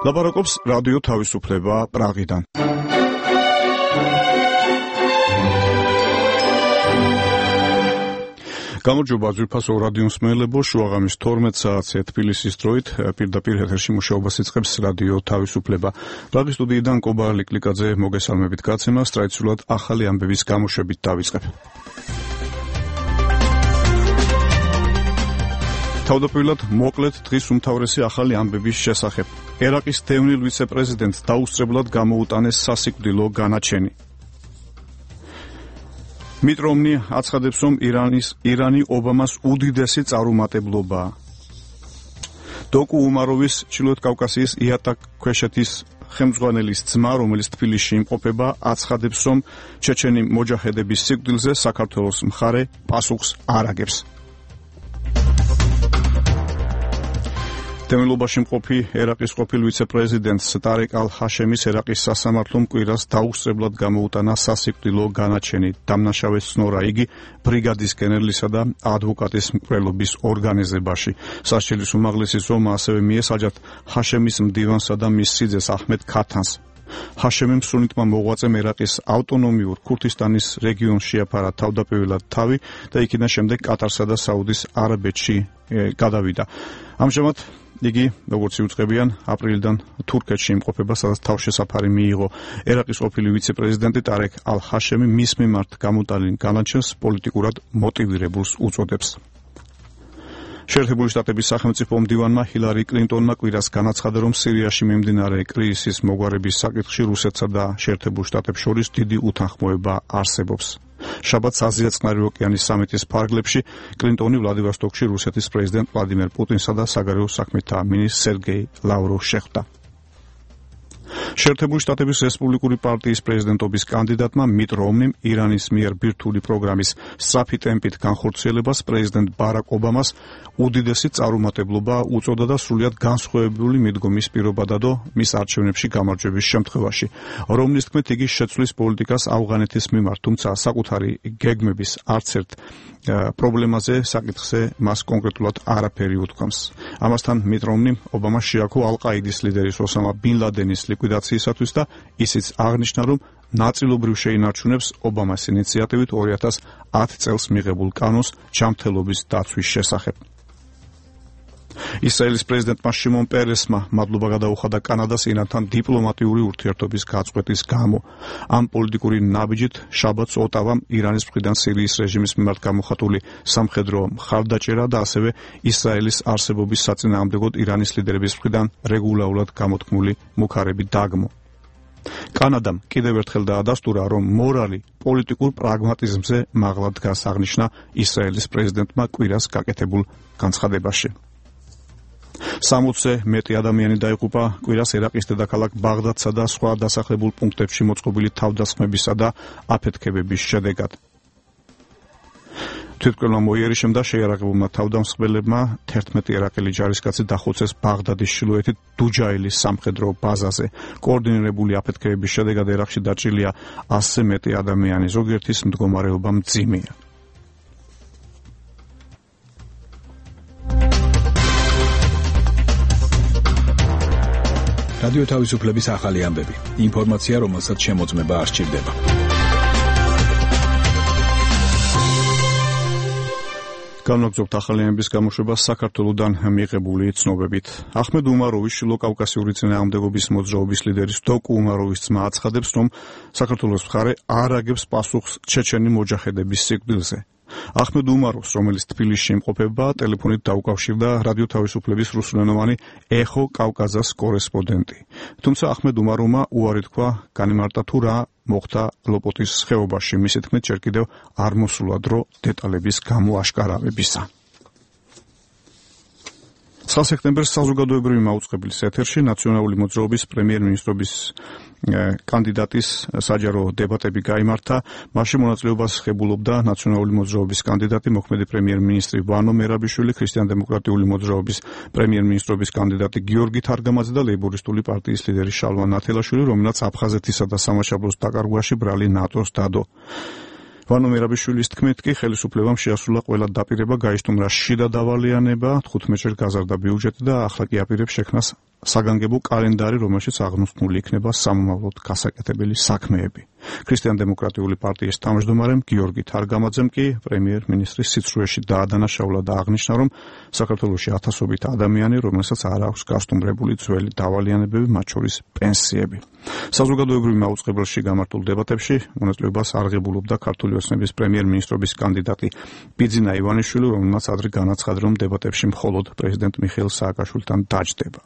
ლაპარაკობს რადიო თავისუფლება პრაღიდან. გამარჯობა ძვირფასო რადიო მსმენელებო, შუაღამის 12 საათზე თბილისის დროით პირდაპირ ეთერში მუშაობას იწყებს რადიო თავისუფლება. პრაღის სტუდიიდან კობა ლიკლიკაძე მოგესალმებით გაცემას, ტრადიციულად ახალი ამბების გამოშვებით დავიწყებ. თავდაპირველად მოკლედ დღის უმთავრესი ახალი ამბების შესახებ. ერაყის დევნილ ვიცე-პრეზიდენტს დაუსწრებლად გამოუტანეს სასიკვდილო განაჩენი. მიტ რომნი აცხადებს, რომ ირანი ობამას უდიდესი წარუმატებლობაა. დოკუ უმაროვის ჩრდილოეთ კავკასიის იატაკქვეშეთის ხელმძღვანელის ძმა, რომელიც თბილისში იმყოფება, აცხადებს, რომ ჩეჩენი მოჯაჰედების სიკვდილზე საქართველოს მხარე პასუხს არ აგებს. დევნილობაში მყოფი ერაყის ყოფილ ვიცე-პრეზიდენტს ტარეკ ალ-ჰაშემის ერაყის სასამართლომ კვირას დაუსწრებლად გამოუტანა სასიკვდილო განაჩენი. დამნაშავეს ცნორა იგი ბრიგადის გენერლისა და ადვოკატის მკვლელობის ორგანიზებაში. სასჯელის უმაღლესი ზომა ასევე მიესაჯათ ჰაშემის მდივანსა და მის სიძეს აჰმედ ქათანს. ჰაშემიმ სუნიტმა მოღვაწემ ერაყის ავტონომიურ ქურთისტანის რეგიონს შეაფარა თავდაპირველად თავი და იქიდან შემდეგ კატარსა და საუდის არაბეთში გადავიდა. ამჟამად იგი, როგორც იუწყებიან, აპრილიდან თურქეთში იმყოფება, სადაც თავშესაფარი მიიღო. ერაყის ყოფილი ვიცე-პრეზიდენტი ტარეკ ალ-ჰაშემი მის მიმართ გამოტანილ განაჩენს პოლიტიკურად მოტივირებულს უწოდებს. შეერთებული შტატების სახელმწიფო მდივანმა ჰილარი კლინტონმა კვირას განაცხადა, რომ სირიაში მიმდინარე კრიზისის მოგვარების საკითხში რუსეთსა და შეერთებულ შტატებს შორის დიდი უთანხმოება არსებობს. შაბათს აზია-წყნარი ოკეანის სამიტის ფარგლებში კლინტონი ვლადივოსტოკში რუსეთის პრეზიდენტ ვლადიმერ პუტინსა და საგარეო საქმეთა მინისტრ სერგეი ლავროვს შეხვდა. შეერთებული შტატების რესპუბლიკური პარტიის პრეზიდენტობის კანდიდატმა მიტ რომნიმ ირანის მიერ ბირთვული პროგრამის სწრაფი ტემპით განხორციელებას პრეზიდენტ ბარაკ ობამას უდიდესი წარუმატებლობა უწოდა და სრულიად განსხვავებული მიდგომის პირობა დადო მის არჩევნებში გამარჯვების შემთხვევაში. რომნის თქმით, იგი შეცვლის პოლიტიკას ავღანეთის მიმართ, თუმცა საკუთარი გეგმების არც ერთ პრობლემაზე საკითხზე მას კონკრეტულად არაფერი უთქვამს. ამასთან მიტ რომნიმ ობამას შეაქო ალ-ყაიდის ლიდერის ოსამა ბინ ლადენის ლიკვიდაციისათვის და ისიც აღნიშნა, რომ ნაწილობრივ შეინარჩუნებს ობამას ინიციატივით 2010 წელს მიღებულ კანონს ჯანმრთელობის დაცვის შესახებ. ისრაელის პრეზიდენტმა შიმონ პერესმა მადლობა გადაუხადა კანადას ირანთან დიპლომატიური ურთიერთობის გაწყვეტის გამო. ამ პოლიტიკური ნაბიჯით შაბათს ოტავამ ირანის მხრიდან სირიის რეჟიმის მიმართ გამოხატული სამხედრო მხარდაჭერა და ასევე ისრაელის არსებობის საწინააღმდეგოდ ირანის ლიდერების მხრიდან რეგულარულად გამოთქმული მუქარები დაგმო. კანადამ კიდევ ერთხელ დაადასტურა, რომ მორალი პოლიტიკურ პრაგმატიზმზე მაღლა დგას, აღნიშნა ისრაელის პრეზიდენტმა კვირას გაკეთებულ განცხადებაში. 60-ზე მეტი ადამიანი დაიღუპა კვირას ერაყის დედაქალაქ ბაღდადსა და სხვა დასახლებულ პუნქტებში მოწყობილი თავდასხმებისა და აფეთქებების შედეგად. თვითმკვლელმა მოიერიშემ და შეიარაღებულმა თავდამსხმელებმა 11 ერაყელი ჯარისკაცი დახოცეს ბაღდადის ჩრდილოეთით დუჯაილის სამხედრო ბაზაზე. კოორდინირებული აფეთქებების შედეგად ერაყში დაჭრილია 100-ზე მეტი ადამიანი, ზოგიერთის მდგომარეობა მძიმეა. რადიო თავისუფლების ახალი ამბები. ინფორმაცია, რომელსაც შემოწმება არ სჭირდება. განვაგრძობთ ახალი ამბების გამოშვებას საქართველოდან მიღებული ცნობებით. აჰმედ უმაროვის შილოკავკასიური წინააღმდეგობის მოძრაობის ლიდერის დოკუ უმაროვის ძმა აცხადებს, რომ საქართველოს მხარე არ აგებს პასუხს ჩეჩენი მოჯაჰედების სიკვდილზე. აჰმედ უმაროვს, რომელიც თბილისში იმყოფება, ტელეფონით დაუკავშირდა რადიო თავისუფლების რუსულენოვანი ეხო კავკაზას კორესპონდენტი. თუმცა აჰმედ უმაროვმა უარი თქვა, განიმარტა თუ რა მოხდა ლოპოტის ხეობაში. მისი თქმით, ჯერ კიდევ არ მოსულა დრო დეტალების გამოაშკარავებისა. 9 სექტემბერს საზოგადოებრივი მაუწყებლის ეთერში ნაციონალური მოძრაობის პრემიერ-მინისტრობის კანდიდატის საჯარო დებატები გაიმართა. მასში მონაწილეობას ღებულობდა ნაციონალური მოძრაობის კანდიდატი მოქმედი პრემიერ-მინისტრი ვანო მერაბიშვილი, ქრისტიან-დემოკრატიული მოძრაობის პრემიერ-მინისტრობის კანდიდატი გიორგი თარგამაძე და ლეიბორისტული პარტიის ლიდერი შალვა ნათელაშვილი, რომელსაც აფხაზეთისა და სამაშაბლოს დაკარგვაში ბრალი ნატოს დადო. ვანო მერაბიშვილის თქმით კი ხელისუფლებამ შეასრულა ყველა დაპირება, გაისტუმრა შიდა დავალიანება, 15-ჯერ გაზარდა ბიუჯეტი და ახლა კი აპირებს შექმნას საგანგებო კალენდარი, რომელშიც აღნიშნული იქნება სამომავლოდ გასაკეთებელი საქმეები. ქრისტიან-დემოკრატიული პარტიის თავმჯდომარემ გიორგი თარგამაძემ კი პრემიერ-მინისტრის სიცრუეში დაადანაშაულა და აღნიშნა, რომ საქართველოში ათასობით ადამიანი, რომელსაც არ აქვს გასტუმრებული ძველი დავალიანებები, მათ შორის პენსიები. საზოგადოებრივ მაუწყებელში გამართულ დებატებში მონაწილეობას არღებულობდა ქართული ოცნების პრემიერ-მინისტრობის კანდიდატი ბიძინა ივანიშვილი, რომელმაც ადრე განაცხადა, რომ დებატებში მხოლოდ პრეზიდენტ მიხეილ სააკაშვილთან დაჯდება.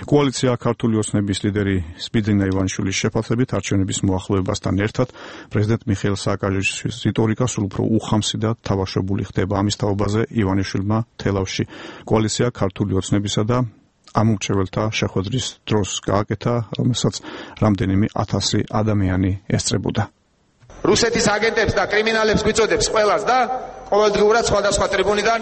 კოალიცია ქართული ოცნების ლიდერი ბიძინა ივანიშვილის შეფასებით არჩევნების მოახლოებასთან ერთად პრეზიდენტ მიხეილ სააკაშვილის რიტორიკა სულ უფრო უხამსი და თავშობილი ხდება. ამის თაობაზე ივანიშვილმა თელავში კოალიცია ქართული ოცნებისა და ამომრჩეველთა შეხვედრის დროს გააკეთა, რომელსაც რამდენიმე 1000 ადამიანი ესწრებოდა. რუსეთის აგენტებს და კრიმინალებს გვიწოდებს ყველას და ყოველდღიურად სხვადასხვა ტრიბუნიდან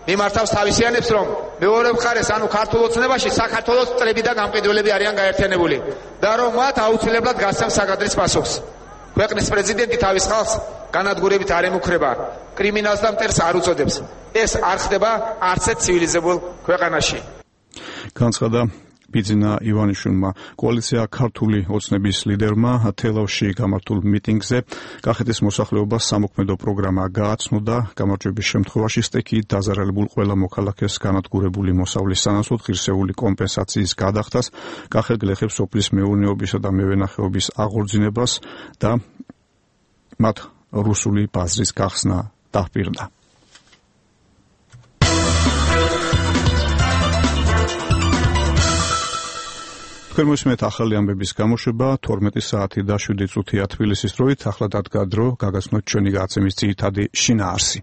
მიმართავს თავისიანებს, რომ მეორე მხარეს, ანუ ქართულ ოცნებაში საქართველოს წრები და გამყიდველები არიან გაერთიანებული და რომ მათ აუცილებლად გასცემს საკადრის პასუხს. ქვეყნის პრეზიდენტი თავის ხალხს განადგურებით არ ემუქრება, კრიმინალს და მტერს არ უწოდებს. ეს არ ხდება არც ერთ ცივილიზებულ ქვეყანაში. განცხადა ბიძინა ივანიშვილმა. კოალიცია ქართული ოცნების ლიდერმა თელავში გამართულ მიტინგზე კახეთის მოსახლეობას სამოქმედო პროგრამა გააცნო და გამარჯვების შემთხვევაში სტექიით დაზარალებულ ყველა მოქალაქეს განადგურებული მოსავლის სანაცვლოდ ღირსეული კომპენსაციის გადახდას, კახეთ-გლეხებს სოფლის მეურნეობისა და მევენახეობის აღორძინებას და მათ რუსული ბაზრის გახსნა დაპირდა. მისმეთ ახალი ამბების გამოშვება 12 საათი და 7 წუთია თბილისის დროით. ახლა დადგა დრო გაგაცნოთ ჩვენი გადაცემის ძირითადი შინაარსი.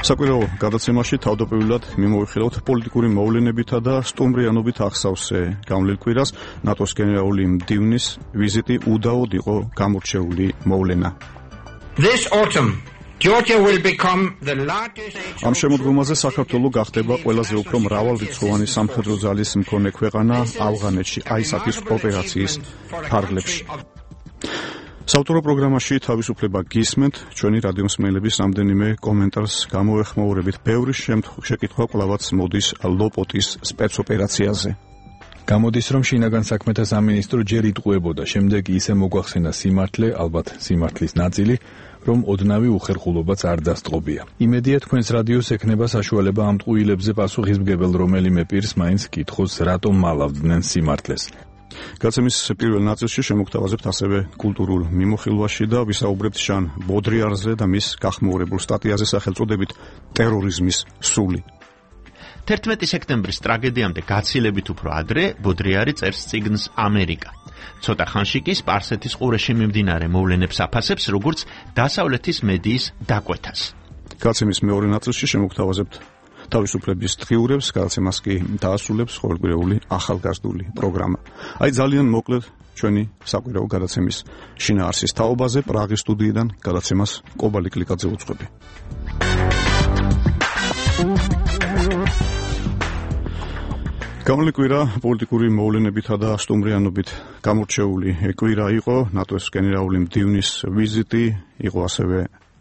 საკვირაო გადაცემაში თავდაპირველად მიმოვიხილავთ პოლიტიკური მოვლენებითა და სტუმრიანობით ახსავსე გამლილ კვირას ნატოს გენერალური მდივნის ვიზიტი უდაოდ იყო გამორჩეული მოვლენა. This autumn Georgia will become the largest. ამ შემოდგომაზე საქართველო გახდება ყველაზე უფრო მრავალრიცხოვანი სამხედრო ძალის მქონე ქვეყანა ავღანეთში, ISAF-ის ოპერაციის ფარგლებში. საავტორო პროგრამაში თავისუფლება გისმენთ, ჩვენი რადიომსმენელების რამდენიმე კომენტარს გამოეხმაურებით. ბევრი შეკითხვა კვლავაც მოდის ლოპოტის სპეცოპერაციაზე. გამოდის, რომ შინაგან საქმეთა სამინისტრო ჯერ იტყუებოდა, შემდეგ ისე მოგვახსენა სიმართლე, ალბათ სიმართლის ნაწილი, რომ ოდნავი უხერხულობაც არ დასწყობია. იმედია თქვენს რადიოს ექნება საშუალება ამ ტყუილებზე პასუხისმგებელ რომელიმე პირს მაინც კითხოს, რატომ მალავდნენ სიმართლეს. გაცემის პირველ ნაწილში შემოგთავაზებთ ასევე კულტურულ მიმოხილვაში და ვისაუბრებთ ჟან ბოდრიარზე და მის გახმაურებულ სტატიაზე სახელწოდებით ტერორიზმის სული. 11 სექტემბრის ტრაგედიამდე გაცილებით უფრო ადრე ბოდრიარი წერს წიგნს ამერიკა. ცოტა ხანში კი სპარსეთის ყურეში მიმდინარე მოვლენებს აფასებს, როგორც დასავლეთის მედიის დაკვეთას. გაცემის მეორე ნაწილში შემოგთავაზებთ თავისუფლების დღიურებს, გადაცემას კი დაასრულებს ყოველკვირეული ახალგაზრდული პროგრამა. აი ძალიან მოკლედ ჩვენი საკვირაო გადაცემის შინაარსის თაობაზე პრაღის სტუდიიდან გადაცემას კობალი კლიკაძე უძღვები. გამლილი კვირა პოლიტიკური მოვლენებითა და სტუმრიანობით გამორჩეული კვირა იყო. ნატოს გენერალური მდივნის ვიზიტი, იყო ასევე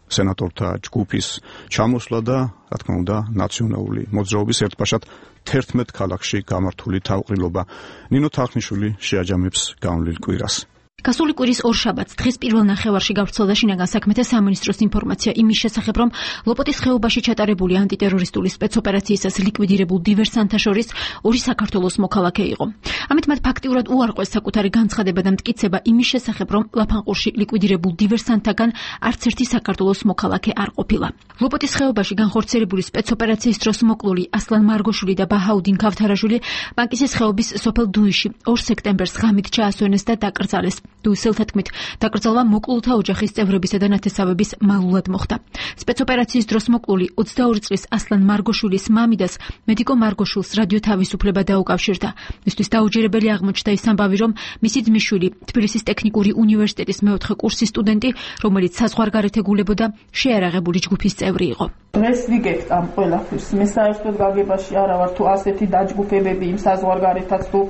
სენატორთა ჯგუფის ჩამოსვლა და, რა თქმა უნდა, ნაციონალური მოძრაობის ერთბაშად 11 ქალაქში გამართული თავყრილობა. ნინო თახნიშვილი შეაჯამებს გამლილ კვირას. გასული კვირის ორშაბათს დღეს პირველ ნახევარში გავრცელდა შინაგან საქმეთა სამინისტროს ინფორმაცია იმის შესახებ, რომ ლოპოტის ხეობაში ჩატარებული ანტიტერორისტული სპეცოპერაციისას ლიკვიდირებულ დივერსანტთა შორის ორი საქართველოს მოქალაქე იყო. ამით მათ ფაქტიურად უარყვეს საკუთარი განცხადება და მტკიცება იმის შესახებ, რომ ლაფანყურში ლიკვიდირებულ დივერსანტთაგან არც ერთი საქართველოს მოქალაქე არ ყოფილა. ლოპოტის ხეობაში განხორციელებული სპეცოპერაციის დროს მოკლული ასლან მარგოშვილი და ბაჰაუდინ ქავთარაშვილი ბანკისის ხეობის სოფელ დუიში 2 სექტემბერს ღამით ჩაასვენეს და დაკრძალეს. დუისელთა თქმით, დაკრძალვა მოკლულთა ოჯახის წევრებისა და ნათესავების მალულად მოხდა. სპეცოპერაციის დროს მოკლული 22 წლის ასლან მარგოშვილის მამიდას მედიკო მარგოშვილს რადიო თავისუფლება დაუკავშირდა. მისთვის დაუჯერებელი აღმოჩნდა ის ამბავი, რომ მისი ძმისშვილი, თბილისის ტექნიკური უნივერსიტეტის მეოთხე კურსის სტუდენტი, რომელიც საზღვარგარეთ ეგულებოდა, შეარაღებული ჯგუფის წევრი იყო. დღეს ვიგებთ ამ ყველაფერს. მე საერთოდ გაგებაში არა ვარ თუ ასეთი დაჯგუფებები იმ საზღვარგარეთაც თუ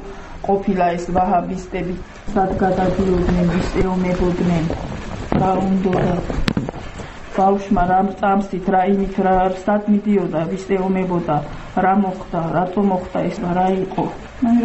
ყოფილა ეს ვაჰაბისტები, სად გადადიოდნენ, ვის ეომებოდნენ, რა უნდოდა ბავშვმა რა წამსით, რა იმით, სად მიდიოდა, ვის ეომებოდა, რა მოხდა, რატომ მოხდა ეს და რა იყო.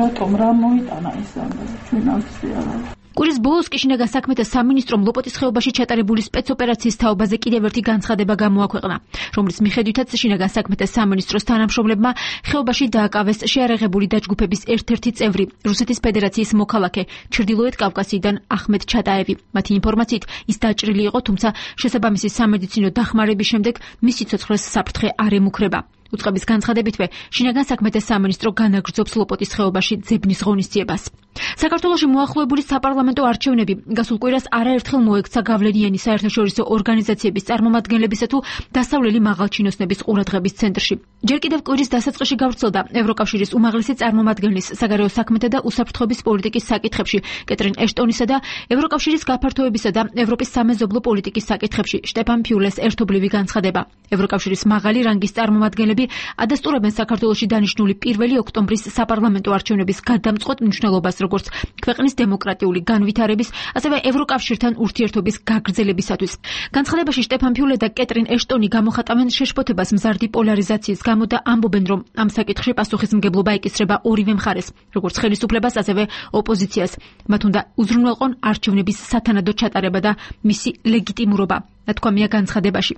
რატომ რა მოიტანა ეს ამბავი, ჩვენ ამცი არა. კვირის ბოლოს კი შინაგან საქმეთა სამინისტრომ ლოპოტის ხეობაში ჩატარებული სპეცოპერაციის თაობაზე კიდევ ერთი განცხადება გამოაქვეყნა, რომლის მიხედვითაც შინაგან საქმეთა სამინისტროს თანამშრომლებმა ხეობაში დააკავეს შეარაღებული დაჯგუფების ერთ-ერთი წევრი, რუსეთის ფედერაციის მოქალაქე, ჩრდილოეთ კავკასიიდან ახმედ ჩატაევი. მათი ინფორმაციით, ის დაჭრილი იყო, თუმცა შესაბამისი სამედიცინო დახმარების შემდეგ მისი ცოცხლეს საფრთხე არ ემუქრება. უწყების განცხადებითვე, შინაგან საქმეთა სამინისტრო განაგრძობს ლოპოტის ხეობაში ძებნის ღონისძიებას. საქართველოში მოახლოებული საპარლამენტო არჩევნები გასულ კვირას არაერთხელ მოექცა გავლენიანი საერთაშორისო ორგანიზაციების წარმომადგენლებისა თუ დასავლელი მაღალჩინოსნების ყურადღების ცენტრში. ჯერ კიდევ კვირის დასაწყისში გავრცელდა ევროკავშირის უმაღლესი წარმომადგენლის საგარეო საქმეთა და უსაფრთხოების პოლიტიკის საკითხებში კეტრინ ეშტონისა და ევროკავშირის გაფართოებისა და ევროპის სამეზობლო პოლიტიკის საკითხებში შტეფან ფიულეს ერთობლივი განცხადება. ევროკავშირის მაღალი რანგის წარმომადგენლები ადასტურებენ საქართველოში დანიშნული 1 ოქტომბრის საპარლამენტო არჩევნების გადამწყვეტ მნიშვნელობას, როგორც ქვეყნის დემოკრატიული განვითარების, ასევე ევროკავშირთან ურთიერთობის გაგრძელებისათვის. განცხადებაში შტეფან ფიულე და კეტრინ ეშტონი გამოხატავენ შეშფოთებას მზარდი პოლარიზაციის გამო და ამბობენ, რომ ამ საკითხში პასუხისმგებლობა ეკისრება ორივე მხარეს, როგორც ხელისუფლებას, ასევე ოპოზიციას. მათ უნდა უზრუნველყონ არჩევნების სათანადო ჩატარება და მისი ლეგიტიმურობა. თქვამია განცხადებაში.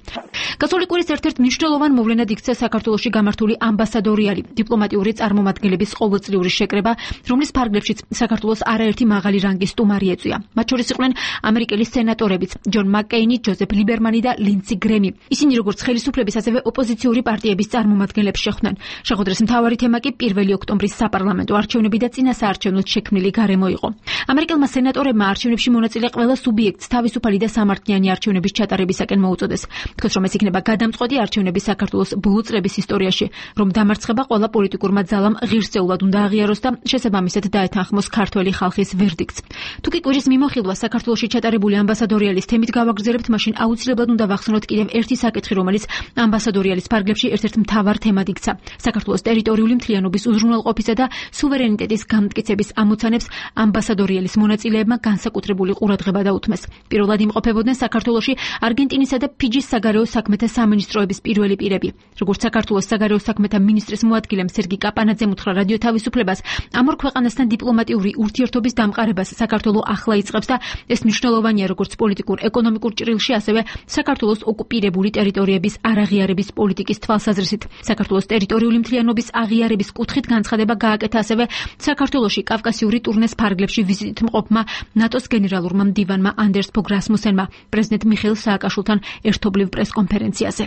გასული კვირის ერთ-ერთ მნიშვნელოვან მოვლენად იქცა საქართველოში გამართული ამბასადორიალი დიპლომატიური წარმომადგენლების ყოველწლიური შეკრება, რომლის ფარგლებშიც საქართველოს არაერთი მაღალი რანგის სტუმარი ეწვია. მათ შორის იყვნენ ამერიკელი სენატორებიც ჯონ მაკკეინი, ჯოზეფ ლიბერმანი და ლინდსი გრემი. ისინი როგორც ხელისუფლების, ასევე ოპოზიციური პარტიების წარმომადგენლებს შეხვდნენ. შეხვედრის მთავარი თემა კი 1 ოქტომბრის საპარლამენტო არჩევნები და წინასაარჩევნოდ შექმნილი გარემო იყო. ამერიკელმა სენატორებმა არჩევნებში მონაწილე ყველა სუბიექტს თავისუფალი და სამართლიანი არჩევნების ჩატარებისაკენ მოუწოდეს. თქოს, რომ ეს იქნება გადამწყვეტი არჩევნები საქართველოს ბოლო წლების ისტორიაში, რომ დამარცხება ყველა პოლიტიკურმა ძალამ ღირსეულად უნდა აღიაროს და შესაბამისად დაეთანხმოს ქართველი ხალხის ვერდიქტს. თუ კი კვირის მიმოხილვა საქართველოში ჩატარებული ამბასადორიალის თემით გავაგრძელებთ, მაშინ აუცილებლად უნდა ვახსენოთ კიდევ ერთი საკითხი, რომელიც ამბასადორიალის ფარგლებში ერთ-ერთ მთავარ თემად იქცა. საქართველოს ტერიტორიული მთლიანობის უზრუნველყოფისა და სუვერენიტეტის განმტკიცების ამოცანებს ამბასადორიალის მონაწილეებმა განსაკუთრებული ყურადღება დაუთმეს. პირველად იმყოფებოდნენ საქართველოში არგენტინისა და ფიჯის საგარეო საქმეთა სამინისტროების პირველი პირები. როგორც საქართველოს საგარეო საქმეთა მინისტრის მოადგილემ სერგი კაპანაძემ უთხრა რადიო თავისუფლებას, ამ ორ ქვეყანასთან დიპლომატიური ურთიერთობის დამყარებას საქართველო ახლა იწყებს და ეს მნიშვნელოვანია როგორც პოლიტიკურ-ეკონომიკურ ჭრილში, ასევე საქართველოს ოკუპირებული ტერიტორიების არაღიარების პოლიტიკის თვალსაზრისით. საქართველოს ტერიტორიული მთლიანობის აღიარების კუთხით განცხადება გააკეთა ასევე საქართველოში კავკასიური ტურნეს ფარგლებში ვიზიტით მყოფმა ნატოს გენერალურმა მდივანმა ანდერს ფოგ რასმუსენმა პრეზიდენტ მიხეილ სააკაშვილთან ერთობლივ პრესკონფერენციაზე.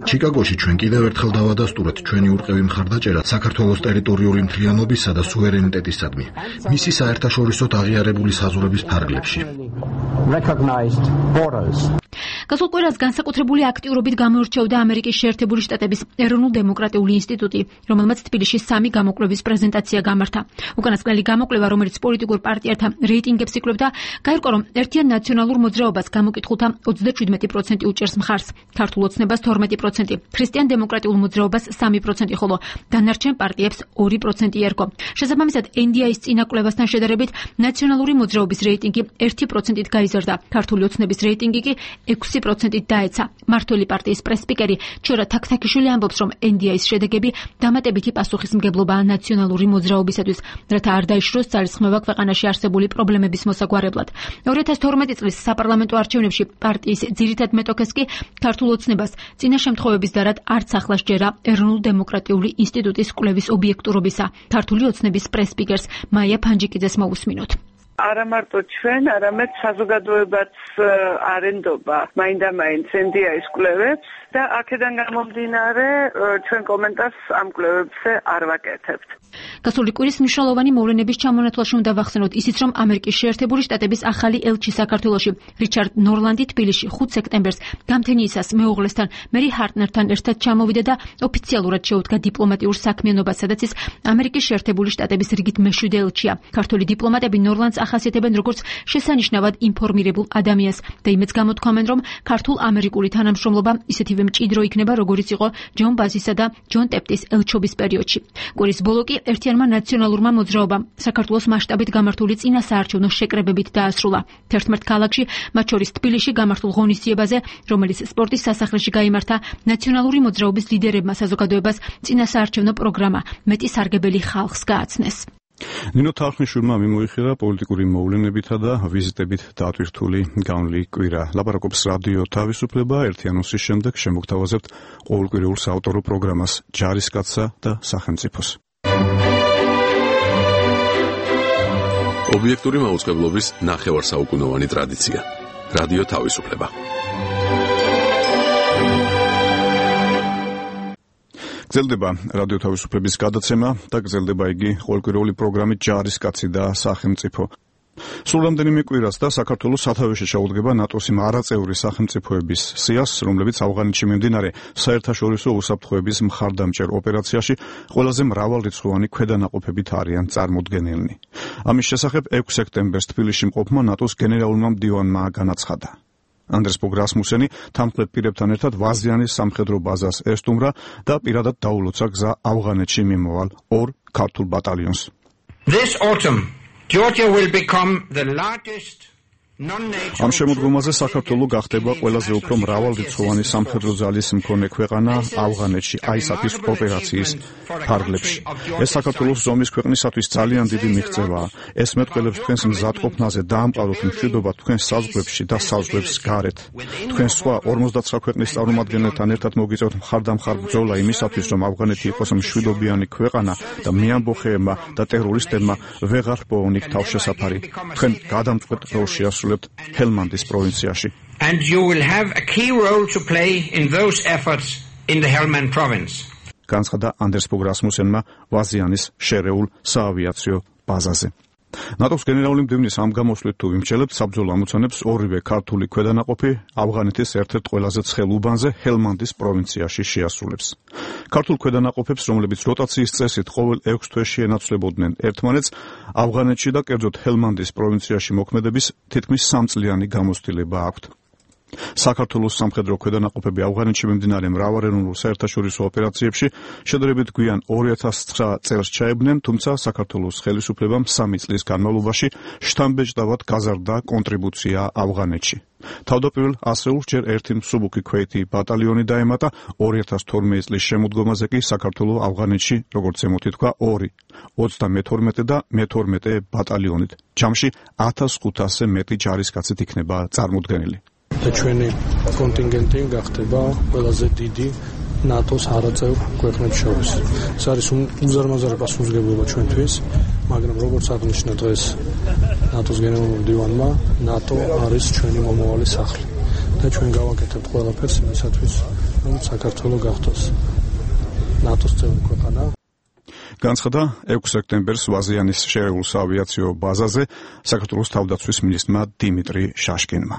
ჩიკაგოში ჩვენ კიდევ ერთხელ დავადასტურეთ ჩვენი ურყევი მხარდაჭერა საქართველოს ტერიტორიული მთლიანობისა და სუვერენიტეტისადმი, მისი საერთაშორისოდ აღიარებული საზღვრების ფარგლებში. გასულ კვირას განსაკუთრებული აქტიურობით გამოირჩეოდა ამერიკის შეერთებული შტატების ეროვნულ-დემოკრატიული ინსტიტუტი, რომელმაც თბილისში 3 გამოკვლევის პრეზენტაცია გამართა. უკანასკნელი გამოკვლევა, რომელიც პოლიტიკურ პარტიათა რეიტინგებს იკვლევდა, გაირკვა, რომ ერთიან ნაციონალურ მოძრაობას გამოკითხულთა 37% უჭერს მხარს, ქართულ ოცნებას 12%, ქრისტიან-დემოკრატიულ მოძრაობას 3%, ხოლო დანარჩენ პარტიებს 2% ერგო. შესაბამისად, NDI-ის წინა კვლევასთან შედარებით ნაციონალური მოძრაობის რეიტინგი 1%-ით გაიზარდა, ქართული ოცნების რეიტინგი კი 6%-ით დაეცა. მართველი პარტიის პრესსპიკერი ჩიორა თაქთაქიშვილი ამბობს, რომ NDI-ის შედეგები დამატებითი პასუხისმგებლობაა ნაციონალური მოძრაობისათვის, რათა არ დაიშროს ძალისხმევა ქვეყანაში არსებული პრობლემების მოსაგვარებლად. 2012 წლის საპარლამენტო არჩევნებში პარტიის ძირითად მეტოქეს კი ქართულ ოცნებას წინა შემთხვევების დარად არც ახლა სჯერა ეროვნულ-დემოკრატიული ინსტიტუტის კვლევის ობიექტურობისა. ქართული ოცნების პრესსპიკერს მაია ფანჯიკიძეს მოусმინოთ. არა მარტო ჩვენ, არამედ საზოგადოებაც არენდობა მაინდა-მაინც NDI-ის კვლევებს და აქედან გამომდინარე ჩვენ კომენტარს ამ კვლევებზე არ ვაკეთებთ. გასული კვირის მნიშვნელოვანი მოვლენების ჩამონათვალში უნდა ვახსენოთ ისიც, რომ ამერიკის შეერთებული შტატების ახალი ელჩი საქართველოში რიჩარდ ნორლანდი თბილისში 5 სექტემბერს გამთენიისას მეუღლესთან მერი ჰარტნერთან ერთად ჩამოვიდა და ოფიციალურად შეუდგა დიპლომატიურ საქმიანობას, სადაც ის ამერიკის შეერთებული შტატების რიგით მე-7 ელჩია. ქართული დიპლომატები ნორლანდს ახასიათებენ როგორც შესანიშნავად ინფორმირებულ ადამიანს და იმეც გამოთქვამენ, რომ ქართულ-ამერიკული თანამშრომლობა ისეთივე მჭიდრო იქნება, როგორიც იყო ჯონ ბაზისა და ჯონ ტეპტის ელჩობის პერიოდში. კვირის ბოლო კი ერთიანმა ნაციონალურმა მოძრაობამ საქართველოს მასშტაბით გამართული წინასაარჩევნო შეკრებებით დაასრულა. 11 ქალაქში, მათ შორის თბილისში გამართულ ღონისძიებაზე, რომელიც სპორტის სასახლეში გაიმართა, ნაციონალური მოძრაობის ლიდერებმა საზოგადოებას წინასაარჩევნო პროგრამა მეტი სარგებელი ხალხს გააცნეს. ნინო თარხნიშვილმა მიმოიხილა პოლიტიკური მოვლენებითა და ვიზიტებით დატვირთული განვლი კვირა. ლაპარაკობს რადიო თავისუფლება. ერთიანოსის შემდეგ შემოგთავაზებთ ყოველკვირეულ საავტორო პროგრამას ჯარისკაცსა და სახელმწიფოს. ობიექტური მაუწყებლობის ნახევარსაუკუნოვანი ტრადიცია. რადიო თავისუფლება. გრძელდება რადიო თავისუფლების გადაცემა და გრძელდება იგი ყოველკვირეული პროგრამით ჯარისკაცი და სახელმწიფო. სულ რამდენიმე კვირას და საქართველოს სათავეში ჩაუდგება ნატოს იმ არაწევრი სახელმწიფოების სიას, რომლებიც ავღანეთში მიმდინარე საერთაშორისო უსაფრთხოების მხარდამჭერ ოპერაციაში ყველაზე მრავალრიცხოვანი ქვედანაყოფებით არიან წარმოდგენილნი. ამის შესახებ 6 სექტემბერს თბილისში მყოფმა ნატოს გენერალურმა მდივანმა განაცხადა. ანდრეს ბოგ რასმუსენი თანმხლებ პირებთან ერთად ვაზიანის სამხედრო ბაზას ესტუმრა და პირადად დაულოცა გზა ავღანეთში მიმოვალ 2 ქართულ ბატალიონს. This autumn, Georgia will become the largest ამ შემოდგომაზე საქართველო გახდება ყველაზე უფრო მრავალრიცხოვანი სამხედრო ძალის მქონე ქვეყანა ავღანეთში ISAF-ის ოპერაციის ფარგლებში. ეს საქართველოს ზომის ქვეყნისათვის ძალიან დიდი მიღწევაა. ეს მეტყველებს თქვენს მზადყოფნაზე დაამყაროთ მშვიდობა თქვენს საზღვრებში და საზღვრებს გარეთ. თქვენ სხვა 59 ქვეყნის წარმომადგენელთან ერთად მოგიწევთ მხარდამხარ ბრძოლა იმისათვის, რომ ავღანეთი იყოს მშვიდობიანი ქვეყანა და მეამბოხეებმა და ტერორისტებმა ვეღარ პოუნიქ თავშესაფარი. თქვენ გადამწყვეტ როლში ჰელმანდის პროვინციაში. And you will have a key role to play in those efforts in the Helmand province. განცხადა ანდრეს ბოგ რასმუსენმა ვაზიანის შერეულ საავიაციო ბაზაზე. ნატოს გენერალური მდივნის ამ გამოსვლით თუ ვიმსჯელებთ, საბრძოლო ამოცანებს ორივე ქართული ქვედანაყოფი ავღანეთის ერთ-ერთ ყველაზე ცხელ უბანზე ჰელმანდის პროვინციაში შეასრულებს. ქართულ ქვედანაყოფებს, რომლებიც როტაციის წესით ყოველ 6 თვეში ენაცვლებოდნენ ერთმანეთს, ავღანეთში და კერძოდ ჰელმანდის პროვინციაში მოქმედების თითქმის 3 წლიანი გამოცდილება აქვთ. საქართველოს სამხედრო ქვედანაყოფები ავღანეთში მიმდინარე მრავალეროვნულ საერთაშორისო ოპერაციებში შედარებით გვიან 2009 წელს ჩაებნენ, თუმცა საქართველოს ხელისუფლებამ 3 წლის განმავლობაში შთამბეჭდავად გაზარდა კონტრიბუცია ავღანეთში. თავდაპირველ ასეულს ჯერ ერთი მსუბუქი ქვეითი ბატალიონი დაემატა, 2012 წლის შემოდგომაზე კი საქართველოს ავღანეთში, როგორც ემოთი თქვა, 2, 32 და მე-12 ბატალიონით. ჯამში 1500-ზე მეტი ჯარისკაცით იქნება წარმოდგენილი. და ჩვენი კონტინგენტი გახდება ყველაზე დიდი ნატოს არაწევრ ქვეყნებს შორის. ეს არის უზარმაზარი პასუხისმგებლობა ჩვენთვის, მაგრამ როგორც აღნიშნა დღეს ნატოს გენერალურმა მდივანმა, ნატო არის ჩვენი მომავალი სახლი და ჩვენ გავაკეთებთ ყველაფერს იმისათვის, რომ საქართველო გახდეს ნატოს წევრი ქვეყანა. განცხადა 6 სექტემბერს ვაზიანის შერეულ საავიაციო ბაზაზე საქართველოს თავდაცვის მინისტრმა დიმიტრი შაშკინმა.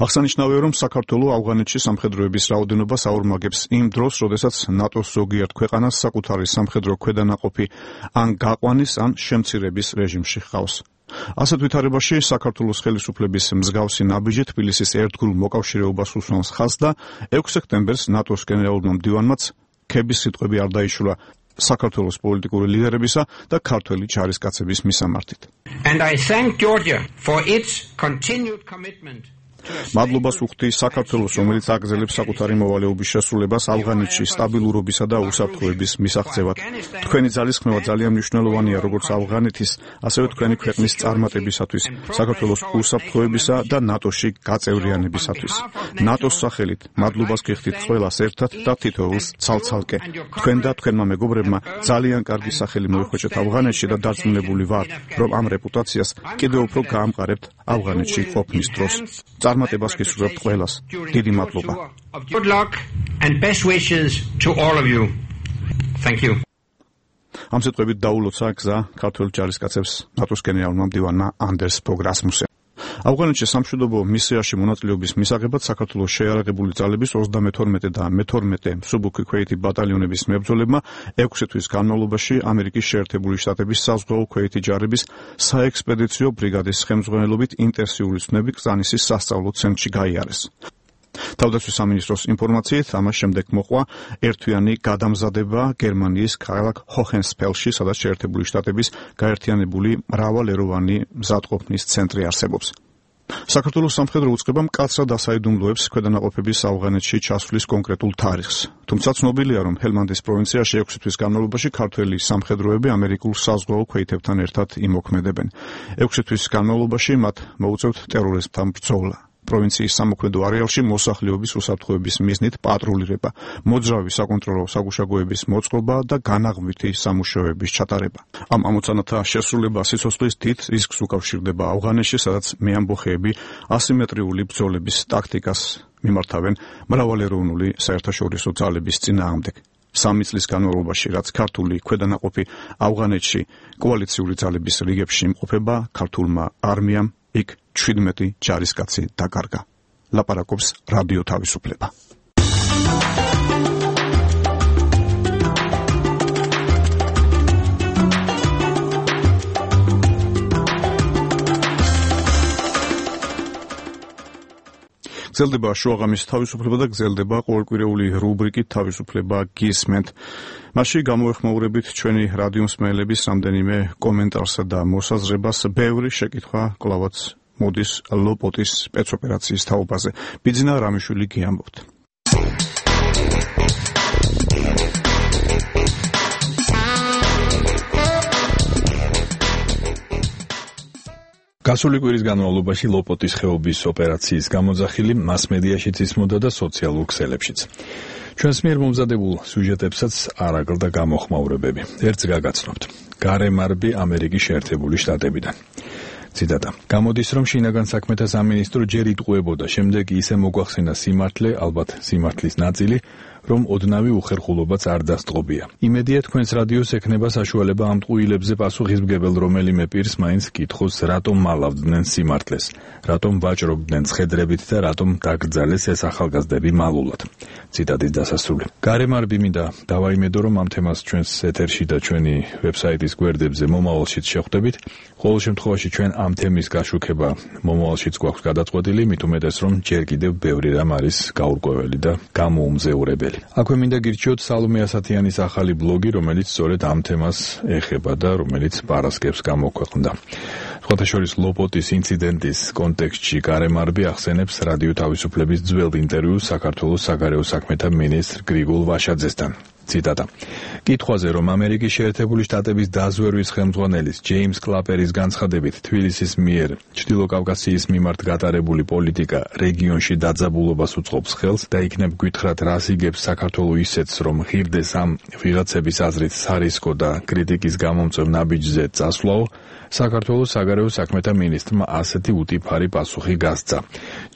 აღსანიშნავია, რომ საქართველო ავღანეთში სამხედროების რაოდენობას აორმაგებს იმ დროს, როდესაც ნატოს ზოგიერთ ქვეყანას საკუთარი სამხედრო ქვედანაყოფი ან გაყვანის, ან შემცირების რეჟიმში ჰყავს. ასეთ ვითარებაში საქართველოს ხელისუფლების მსგავსი ნაბიჯი თბილისის ერთგულ მოკავშირეობას უსვამს ხაზს და 6 სექტემბერს ნატოს გენერალურმა მდივანმაც ქების სიტყვები არ დაიშულა საქართველოს პოლიტიკური ლიდერებისა და ქართველი ჯარისკაცების მისამართით. And I thank Georgia for its continued commitment. მადლობას ვუხდი საქართველოს, რომელიც აგრძელებს საკუთარი მოვალეობის შესრულებას ავღანეთში სტაბილურობისა და უსაფრთხოების მისაღწევად. თქვენი ძალისხმევა ძალიან მნიშვნელოვანია როგორც ავღანეთის, ასევე თქვენი ქვეყნის წარმატებისათვის, საქართველოს უსაფრთხოებისა და ნატოში გაწევრიანებისათვის. ნატოს სახელით მადლობას გიხდით ყველას ერთად და თითოეულს ცალ-ცალკე. თქვენ და თქვენმა მეგობრებმა ძალიან კარგი სახელი მოიხვეჭეთ ავღანეთში და დარწმუნებული ვარ, რომ ამ რეპუტაციას კიდევ უფრო გაამყარებთ ავღანეთში ყოფნის დროს. წარმატებას გისურვებთ ყველას. დიდი მადლობა. Good luck and best wishes to all of you. Thank you. ამ სიტყვებით დაულოცა გზა ქართველ ჯარისკაცებს ნატოს გენერალურმა მდივანმა ანდერს ფოგ რასმუსენმა. ავღანეთში სამშვიდობო მისიაში მონაწილეობის მისაღებად საქართველოს შეიარაღებული ძალების 32 და მე-12 მსუბუქი ქვეითი ბატალიონების მებრძოლებმა 6 თვის განმავლობაში ამერიკის შეერთებული შტატების საზღვაო ქვეითი ჯარების საექსპედიციო ბრიგადის ხელმძღვანელობით ინტენსიური ცნები კრწანისის სასწავლო ცენტრში გაიარეს. თავდაცვის სამინისტროს ინფორმაციით, ამას შემდეგ მოყვა ერთთვიანი გადამზადება გერმანიის ქალაქ ჰოჰენსფელში, სადაც შეერთებული შტატების გაერთიანებული მრავალეროვანი მზადყოფნის ცენტრი არსებობს. საქართველოს სამხედრო უწყება მკაცრად ასაიდუმლოებს ქვედანაყოფების ავღანეთში ჩასვლის კონკრეტულ თარიღს. თუმცა ცნობილია, რომ ჰელმანდის პროვინციაში 6 თვის განმავლობაში ქართველი სამხედროები ამერიკულ საზღვაო ქვეითებთან ერთად იმოქმედებენ. 6 თვის განმავლობაში მათ მოუწევთ ტერორიზმთან ბრძოლა. პროვინციის სამოქმედო არეალში მოსახლეობის უსაფრთხოების მიზნით პატრულირება, მოძრავი საკონტროლო საგუშაგოების მოწყობა და განაღმვითი სამუშაოების ჩატარება. ამ ამოცანათა შესრულება სიცოცხლის დიდ რისკს უკავშირდება ავღანეთში, სადაც მეამბოხეები ასიმეტრიული ბრძოლების ტაქტიკას მიმართავენ მრავალეროვნული საერთაშორისო ძალების წინააღმდეგ. 3 წლის განმავლობაში, რაც ქართული ქვედანაყოფი ავღანეთში კოალიციური ძალების რიგებში იმყოფება, ქართულმა არმიამ იქ 17 ჯარისკაცი დაკარგა. ლაპარაკობს რადიო თავისუფლება. გრძელდება შუაღამის თავისუფლება და გრძელდება ყოველკვირეული რუბრიკით თავისუფლება გისმენთ. მასში გამოეხმაურებით ჩვენი რადიო მსმენელების რამდენიმე კომენტარსა და მოსაზრებას. ბევრი შეკითხვა კლავაც მოდის ლოპოტის სპეცოპერაციის თაობაზე. ბიძინა რამიშვილი გიამბობთ. გასული კვირის განმავლობაში ლოპოტის ხეობის ოპერაციის გამოძახილი მასმედიაშიც ისმოდა და სოციალურ ქსელებშიც. ჩვენს მიერ მომზადებულ სიუჟეტებსაც არ აკლდა გამოხმაურებები. ერთს გაგაცნობთ. გარემარბი ამერიკის შეერთებული შტატებიდან. ციტატა. გამოდის, რომ შინაგან საქმეთა სამინისტრო ჯერ იტყუებოდა, შემდეგ ისე მოგვახსენა სიმართლე, ალბათ სიმართლის ნაწილი, რომ ოდნავი უხერხულობაც არ დასტყობია. იმედია თქვენს რადიოს ექნება საშუალება ამ ტყუილებზე პასუხისმგებელ რომელიმე პირს მაინც კითხოს, რატომ მალავდნენ სიმართლეს, რატომ ვაჭრობდნენ ცხედრებით და რატომ დაკრძალეს ეს ახალგაზრდები მალულად. ციტატის დასასრული. გარემარბი მინდა დავაიმედო, რომ ამ თემას ჩვენს ეთერში და ჩვენი ვებსაიტის გვერდებზე მომავალშიც შეხვდებით. ყოველ შემთხვევაში ჩვენ ამ თემის გაშუქება მომავალშიც გვაქვს გადაწყვეტილი, მით უმეტეს რომ ჯერ კიდევ ბევრი რამ არის გაურკვეველი და გამოუმზეურებელი. აქვე მინდა გირჩიოთ სალომე ასათიანის ახალი ბლოგი, რომელიც სწორედ ამ თემას ეხება და რომელიც პარასკევს გამოქვეყნდა. სხვათა შორის ლოპოტის ინციდენტის კონტექსტში გარემარბი ახსენებს რადიო თავისუფლების ძველ ინტერვიუს საქართველოს საგარეო საქმეთა მინისტრ გრიგოლ ვაშაძესთან. ციტატა. კითხვაზე, რომ ამერიკის შეერთებული შტატების დაზვერვის ხელმძღვანელის ჯეიმს კლაპერის განცხადებით თბილისის მიერ ჩრდილო კავკასიის მიმართ გატარებული პოლიტიკა რეგიონში დაძაბულობას უწყობს ხელს და იქნებ გვითხრათ, რას იგებს საქართველოს ისეთს, რომ ღირდეს ამ ვიღაცების აზრით სარისკო და კრიტიკის გამომწვევ ნაბიჯზე წასვლაო, საქართველოს საგარეო საქმეთა მინისტრმა ასეთი უტიფარი პასუხი გასცა.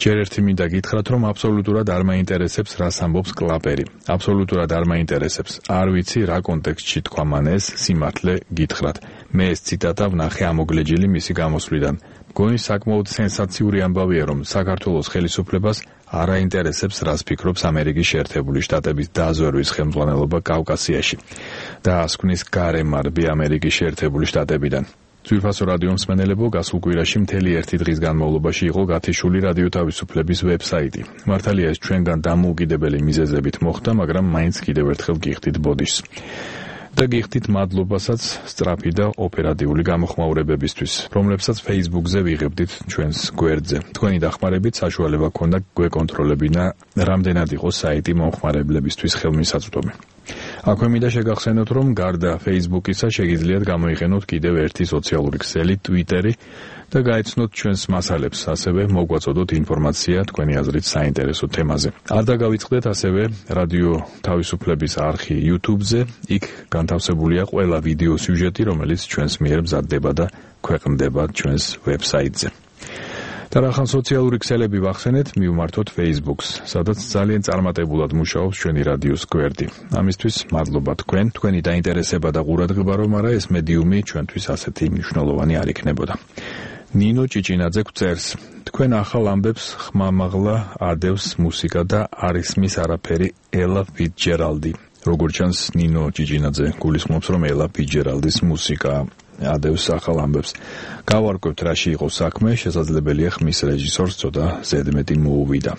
ჯერ ერთი მინდა გითხრათ, რომ აბსოლუტურად არ მაინტერესებს, რას ამბობს კლაპერი. აბსოლუტურად არ მაინტერესებს. არ ვიცი რა კონტექსტში თქვა მან ეს სიმართლე გითხრათ. მე ეს ციტატა ვნახე ამოგლეჯილი მისი გამოსვლიდან. მგონი საკმაოდ სენსაციური ამბავია, რომ საქართველოს ხელისუფლებას არ აინტერესებს, რას ფიქრობს ამერიკის შეერთებული შტატების დაზვერვის ხელმძღვანელობა კავკასიაში. და ასკვნის გარემარბი ამერიკის შეერთებული შტატებიდან. ძვირფასო რადიო მსმენელებო, გასულ კვირაში მთელი ერთი დღის განმავლობაში იყო გათიშული რადიო თავისუფლების ვებსაიტი. მართალია ეს ჩვენგან დამოუკიდებელი მიზეზებით მოხდა, მაგრამ მაინც კიდევ ერთხელ გიხდით ბოდიშს. და გიხდით მადლობასაც სწრაფი და ოპერატიული გამოხმაურებებისთვის, რომლებსაც Facebook-ზე ვიღებდით ჩვენს გვერდზე. თქვენი დახმარებით საშუალება ჰქონდა გვეკონტროლებინა, რამდენად იყო საიტი მომხმარებლებისთვის ხელმისაწვდომი. აქვე მინდა შეგახსენოთ, რომ გარდა Facebook-ისა შეგიძლიათ გამოიყენოთ კიდევ ერთი სოციალური ქსელი, Twitter-ი და გაეცნოთ ჩვენს მასალებს, ასევე მოგვაწოდოთ ინფორმაცია თქვენი აზრით საინტერესო თემაზე. არ დაგავიწყდეთ ასევე რადიო თავისუფლების არხი YouTube-ზე, იქ განთავსებულია ყველა ვიდეო სიუჟეტი, რომელიც ჩვენს მიერ მზადდება და ქვეყნდება ჩვენს ვებსაიტზე. Თან სოციალური ქსელები ვახსენეთ, მივმართოთ Facebook-ს, სადაც ძალიან წარმატებულად მუშაობს ჩვენი რადიოს გვერდი. ამისთვის მადლობა თქვენი დაინტერესება და ყურადღება, რომ არა ეს მედიუმი ჩვენთვის ასეთი მნიშვნელოვანი არ იქნებოდა. ნინო ჭიჭინაძე გვწერს: თქვენ ახალ ამბებს ხმამაღლა ადევს მუსიკა და არ ისმის არაფერი ელა ფიცჯერალდი. როგორც ჩანს, ნინო ჭიჭინაძე გულისხმობს, რომ ელა ფიცჯერალდის მუსიკა ადევს ახალ ამბებს. გავარკვევთ, რაში იყო საქმე, შესაძლებელია ხმის რეჟისორს ცოტა ზედმეტი მოუვიდა.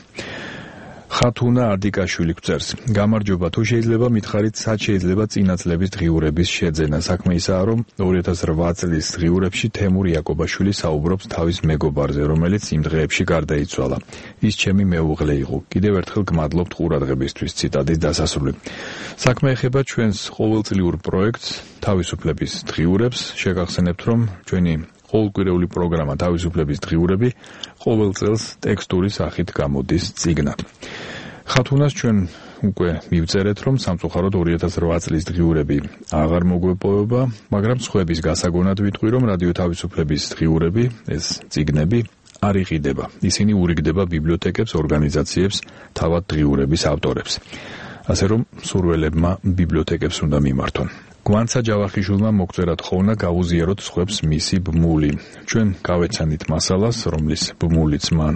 ხათუნა ადიკაშვილი გვწერს: გამარჯობა, თუ შეიძლება მითხარით, სად შეიძლება წინა წლების დღიურების შეძენა. საქმე ისაა, რომ 2008 წლის დღიურებში თემურ იაკობაშვილი საუბრობს თავის მეგობარზე, რომელიც იმ დღეებში გარდაიცვალა. ის ჩემი მეუღლე იყო. კიდევ ერთხელ გმადლობთ ყურადღებისთვის. ციტატის დასასრული. საქმე ეხება ჩვენს ყოველწლიურ პროექტს თავისუფლების დღიურებს. შეგახსენებთ, რომ ჩვენი ყოველკვირეული პროგრამა თავისუფლების დღიურები ყოველ წელს ტექსტური სახით გამოდის წიგნად. ხათუნას ჩვენ უკვე მივწერეთ, რომ სამწუხაროდ 2008 წლის დღიურები აღარ მოგვეპოვება, მაგრამ სხვების გასაგონად ვიტყვი, რომ რადიო თავისუფლების დღიურები, ეს წიგნები არ იყიდება. ისინი ურიგდება ბიბლიოთეკებს, ორგანიზაციებს, თავად დღიურების ავტორებს. ასე რომ სურველებმა ბიბლიოთეკებს უნდა მიმართონ. გვანცა ჯავახიშვილმა მოგწერა თხოვნა გავუზიაროთ სხვებს მისი ბმული. ჩვენ გავეცანით მასალას, რომლის ბმულიც მან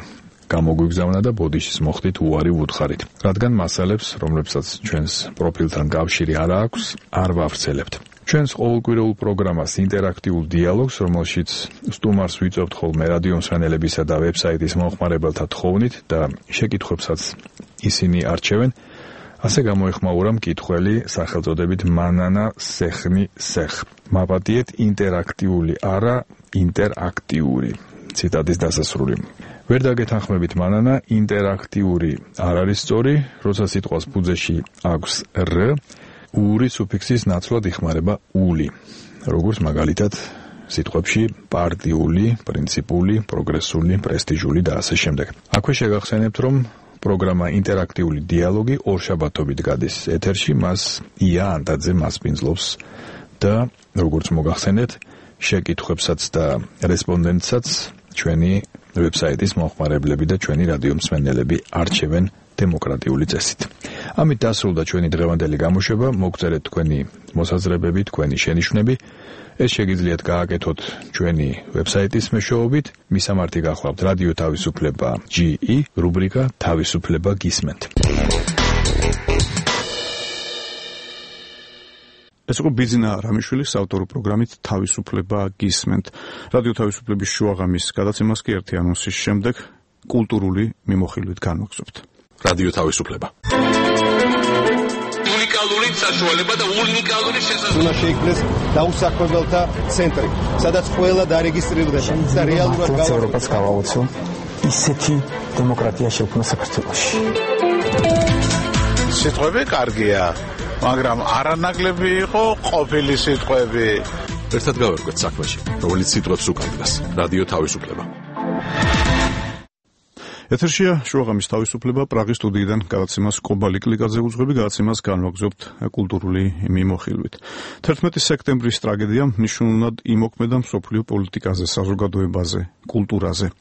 გამოგვიგზავნა და ბოდიშის მოხდით უარი ვუთხარით. რადგან მასალებს, რომლებსაც ჩვენს პროფილთან კავშირი არ აქვს, არ ვავრცელებთ. ჩვენს ყოველკვირეულ პროგრამას ინტერაქტიულ დიალოგს, რომელშიც სტუმარს ვიწევთ ხოლმე რადიომსმენელებისა და ვებსაიტის მომხმარებელთა თხოვნით და შეკითხვებსაც ისინი არჩევენ, ასე გამოეხმაურა მკითხველი სახელწოდებით მანანა სეხნი სეხ. მაპატიეთ ინტერაქტიული, არა ინტერაქტიული. ციტატის დასასრული. ვერ დაგეთანხმებით მანანა, ინტერაქტიული არ არის სწორი, როცა სიტყვას ფუძეში აქვს რ, ური სუფიქსის ნაცვლად იხმარება ული. როგორც მაგალითად სიტყვებში პარტიული, პრინციპული, პროგრესული, პრესტიჟული და ასე შემდეგ. აქვე შეგახსენებთ, რომ პროგრამა ინტერაქტიული დიალოგი ორშაბათობით გადის ეთერში, მას ია ანტაძე მასპინძლობს და როგორც მოგახსენეთ, შეკითხვებსაც და რესპონდენტსაც ჩვენი ვებსაიტის მომხმარებლები და ჩვენი რადიომსმენელები არჩევენ დემოკრატიული წესით. ამით დასრულდა ჩვენი დღევანდელი გამოშვება. მოგწერეთ თქვენი მოსაზრებები, თქვენი შენიშვნები. ეს შეგიძლიათ გააკეთოთ ჩვენი ვებსაიტის მეშვეობით. მისამართი გახლავთ რადიო თავისუფლება GE, რუბრიკა თავისუფლება გისმენთ. ეს იყო ბიძინა რამიშვილის საავტორო პროგრამით თავისუფლება გისმენთ. რადიო თავისუფლების შუაღამის გადაცემას კი ერთი ანონსის შემდეგ კულტურული მიმოხილვით განვაგრძობთ. რადიო თავისუფლება. უნიკალური საშუალება და უნიკალური შესაძლებლობა. უნდა შეიქმნეს დაუსაქმებელთა ცენტრი, სადაც ყველა დარეგისტრირდება და რეალურად ევროპას გავაუწევ ისეთი დემოკრატია შექმნა საქართველოში. სიტყვები კარგია, მაგრამ არანაკლები იყო ყოფილი სიტყვები. ერთად გავერკვეთ საქმეში, რომელიც სიტყვებს უკავშირდება. რადიო თავისუფლება. ეთერშია შუაღამის თავისუფლება. პრაღის სტუდიიდან გადაცემას კობალი კლიკაძე უძღვები, გადაცემას განვაგრძობთ კულტურული მიმოხილვით. 11 სექტემბრის ტრაგედია მნიშვნელოვნად იმოქმედა მსოფლიო პოლიტიკაზე, საზოგადოებაზე, კულტურაზე.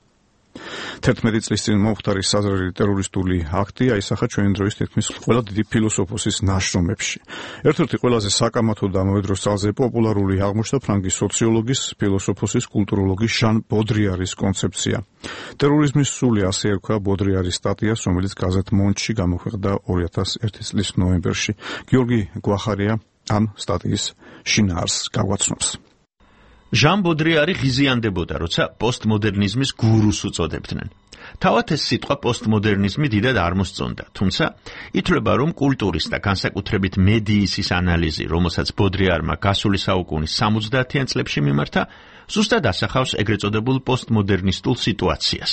11 წლის წინ მომხდარი საზრელი ტერორისტული აქტი აისახა ჩვენი დროის თითქმის ყველა დიდი ფილოსოფოსის ნაშრომებში. ერთ-ერთი ყველაზე საკამათო და ამავე დროს ძალზე პოპულარული აღმოჩნდა ფრანგის სოციოლოგის, ფილოსოფოსის, კულტუროლოგის ჟან ბოდრიარის კონცეფცია. ტერორიზმის სული, ასე ერქვა ბოდრიარის სტატიას, რომელიც გაზეთ მონდში გამოქვეყნდა 2001 წლის ნოემბერში. გიორგი გვახარია ამ სტატიის შინაარსს გაგვაცნობს. ჟან ბოდრიარი ღიზიანდებოდა, როცა პოსტმოდერნიზმის გურუს უწოდებდნენ. თავად ეს სიტყვა პოსტმოდერნიზმი დიდად არ მოსწონდა, თუმცა ითვლება, რომ კულტურის და განსაკუთრებით მედიის ის ანალიზი, რომელსაც ბოდრიარმა გასული საუკუნის 70-იან წლებში მიმართა, ზუსტად ასახავს ეგრეთ წოდებულ პოსტმოდერნისტულ სიტუაციას.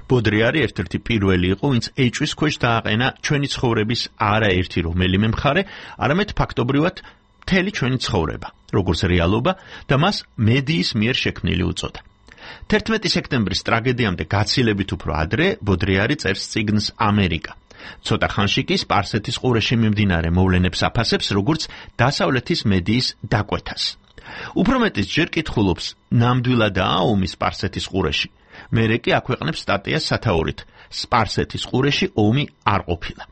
ბოდრიარი ერთ-ერთი პირველი იყო, ვინც ეჭვის ქვეშ დააყენა ჩვენი ცხოვრების არაერთი რომელიმე მხარე, არამედ ფაქტობრივად მთელი ჩვენი ცხოვრება, როგორც რეალობა და მას მედიის მიერ შექმნილი უწოდა. 11 სექტემბრის ტრაგედიამდე გაცილებით უფრო ადრე ბოდრიარი წერს წიგნს ამერიკა. ცოტა ხანში კი სპარსეთის ყურეში მიმდინარე მოვლენებს აფასებს, როგორც დასავლეთის მედიის დაკვეთას. უფრო მეტიც ჯერ კითხულობს, ნამდვილადაა ომი სპარსეთის ყურეში მერე კი აქვეყნებს სტატიას სათაურით სპარსეთის ყურეში ომი არ ყოფილა.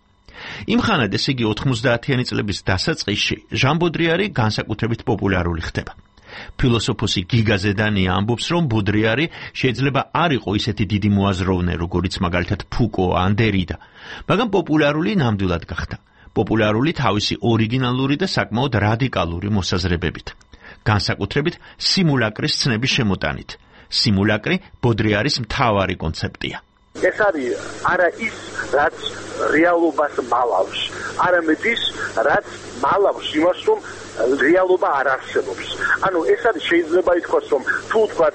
იმ ხანად ეს იგი 90-იანი წლების დასაწყისში ჟან ბოდრიარი განსაკუთრებით პოპულარული ხდება. ფილოსოფოსი გიგა ზედანია ამბობს, რომ ბოდრიარი შეიძლება არ იყო ისეთი დიდი მოაზროვნე, როგორიც მაგალითად ფუკო ან დერიდა, მაგრამ პოპულარული ნამდვილად გახდა. პოპულარული თავისი ორიგინალური და საკმაოდ რადიკალური მოსაზრებებით. განსაკუთრებით სიმულაკრის ცნების შემოტანით. სიმულაკრი ბოდრიარის მთავარი კონცეფტია. ეს არის არა ის, რაც რეალობას მალავს, არამედ ის, რაც მალავს იმას, რომ რეალობა არ არსებობს. ანუ ეს არის შეიძლება ითქვას, რომ თუ ვთქვათ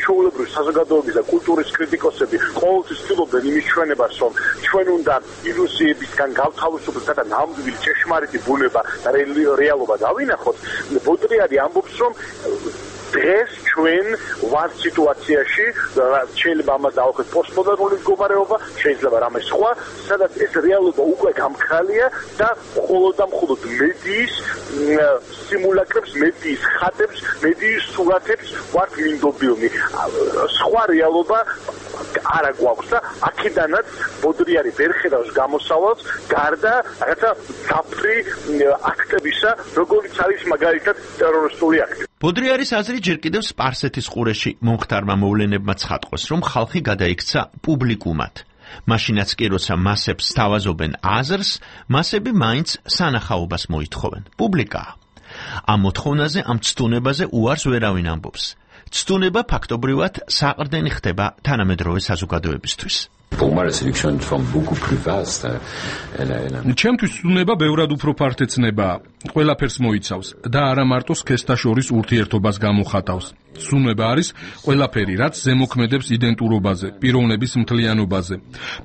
ჩვეულებრივი საზოგადოების და კულტურის კრიტიკოსები ყოველთვის ცდილობენ იმის ჩვენებას, რომ ჩვენ უნდა ილუზიებისგან გავთავისუფლდეთ და ნამდვილი ჭეშმარიტი ბუნება და რეალობა დავინახოთ, ბოდრიარი ამბობს, რომ დღეს ჩვენ ვართ სიტუაციაში, შეიძლება ამას დავახოთ პოსტმოდერნული მდგომარეობა, შეიძლება რამე სხვა, სადაც ეს რეალობა უკვე გამქრალია და მხოლოდ და მხოლოდ მედიის სიმულაკრებს, მედიის ხატებს, მედიის სურათებს ვართ მინდობილნი. სხვა რეალობა არა გვაქვს და აქედანაც ბოდრიარი ვერ ხედავს გამოსავალს გარდა რაღაცა ძაფრი აქტებისა, როგორიც არის მაგალითად ტერორისტული აქტი. ბოდრიარის აზრი ჯერ კიდევ სპარსეთის ყურეში მომხდარმა მოვლენებმა ცხადყოს, რომ ხალხი გადაიქცა პუბლიკუმად. მაშინაც კი როცა მასებს სთავაზობენ აზრს, მასები მაინც სანახაობას მოითხოვენ. პუბლიკაა. ამ მოთხოვნაზე, ამ ცდუნებაზე უარს ვერავინ ამბობს. ცდუნება ფაქტობრივად საყრდენი ხდება თანამედროვე საზოგადოებისთვის. ჩემთვის ცდუნება ბევრად უფრო ფართეცნებაა. ყველაფერს მოიცავს და არა მარტო სქესთა შორის ურთიერთობას გამოხატავს. ცდუნება არის ყველაფერი, რაც ზემოქმედებს იდენტურობაზე, პიროვნების მთლიანობაზე.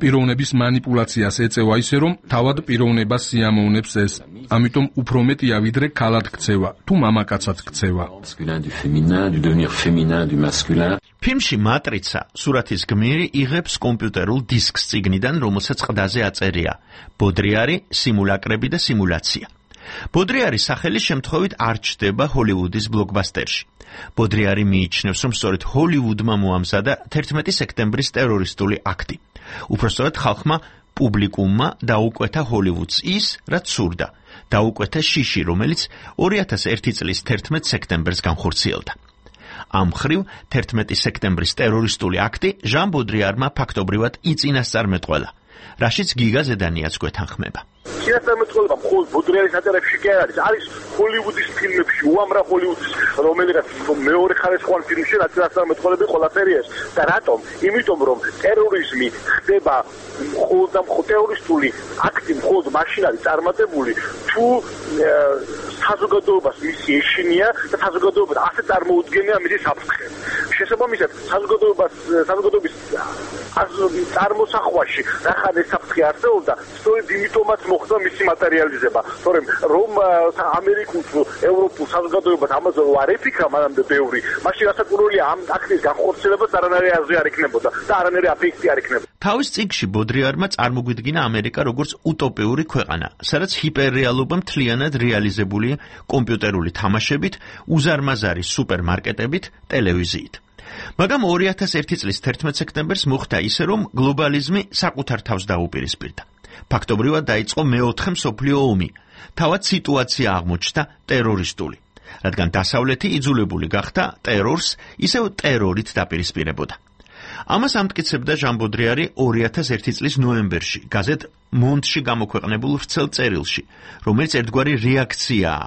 პიროვნების მანიპულაციას ეწევა ისე, რომ თავად პიროვნებას სიამოვნებს ეს. ამიტომ უფრო მეტია ვიდრე ქალად ქცევა, თუ მამაკაცად ქცევა. ფილმში მატრიცა სურათის გმირი იღებს კომპიუტერულ დისკს წიგნიდან, რომელსაც ყდაზე აწერია ბოდრიარი, სიმულაკრები და სიმულაცია. ბოდრიარის სახელი შემთხვევით არ ჩნდება ჰოლივუდის ბლოკბასტერში. ბოდრიარი მიიჩნევს, რომ სწორედ ჰოლივუდმა მოამზადა 11 სექტემბრის ტერორისტული აქტი. უпростоრად ხალხმა პუბლიკუმმა დაუკვეთა ჰოლივუდს ის, რაც სურდა. დაუკვეთა შიში, რომელიც 2001 წლის 11 სექტემბერს განხორციელდა. ამ მხრივ 11 სექტემბრის ტერორისტული აქტი ჟან ბოდრიარმა ფაქტობრივად იწინასწარმეტყველა, რაშიც გიგა ზედანიაც გვეთანხმება. წინასწარმეტყველება მხოლოდ ბოდრიარის ატარებში კი არ არის ჰოლივუდის ფილმებში, უამრავ ჰოლივუდის რომელიღაც მეორე ხარისხოვან ფილმში წინასწარმეტყველები ყველაფერი ეს. და რატომ? იმიტომ რომ ტერორიზმი ხდება მხოლოდ და მხოლოდ ტერორისტული აქტი მხოლოდ მაშინ არის წარმატებული, თუ საზოგადოებას მისი ეშინია და საზოგადოება ასე წარმოუდგენია მისი საფრთხე. შესაბამისად, საზოგადოების წარმოსახვაში რახან ეს საფრთხე არსებობდა, სწორედ იმიტომაც მოხდა მისი მატერიალიზება. თორემ რომ ამერიკულ ევროპულ საზოგადოებას ამაზე არ ეფიქრა მანამდე ბევრი, მაშინ რასაკვირველია ამ აქტის განხორციელებაც არანაირი აზრი არ იქნებოდა და არანაირი აფექტი არ იქნებოდა. თავის წიგნში ბოდრიარმა წარმოგვიდგინა ამერიკა როგორც utopიური ქვეყანა, სადაც ჰიპერრეალობა მთლიანად რეალიზებული კომპიუტერული თამაშებით, უზარმაზარი სუპერმარკეტებით, ტელევიზიით. მაგრამ 2001 წლის 11 სექტემბერს მოხდა ისე, რომ გლობალიზმი საკუთარ თავს დაუპირისპირდა. ფაქტობრივად დაიწყო მეოთხე მსოფლიო ომი. თავად სიტუაცია აღმოჩნდა ტერორისტული, რადგან დასავლეთი იძულებული გახდა ტერორს ისევ ტერორით დაპირისპირებოდა. ამას ამტკიცებდა ჟან ბოდრიარი 2001 წლის ნოემბერში გაზეთ მონდში გამოქვეყნებულ ვრცელ წერილში, რომელიც ერთგვარი რეაქციაა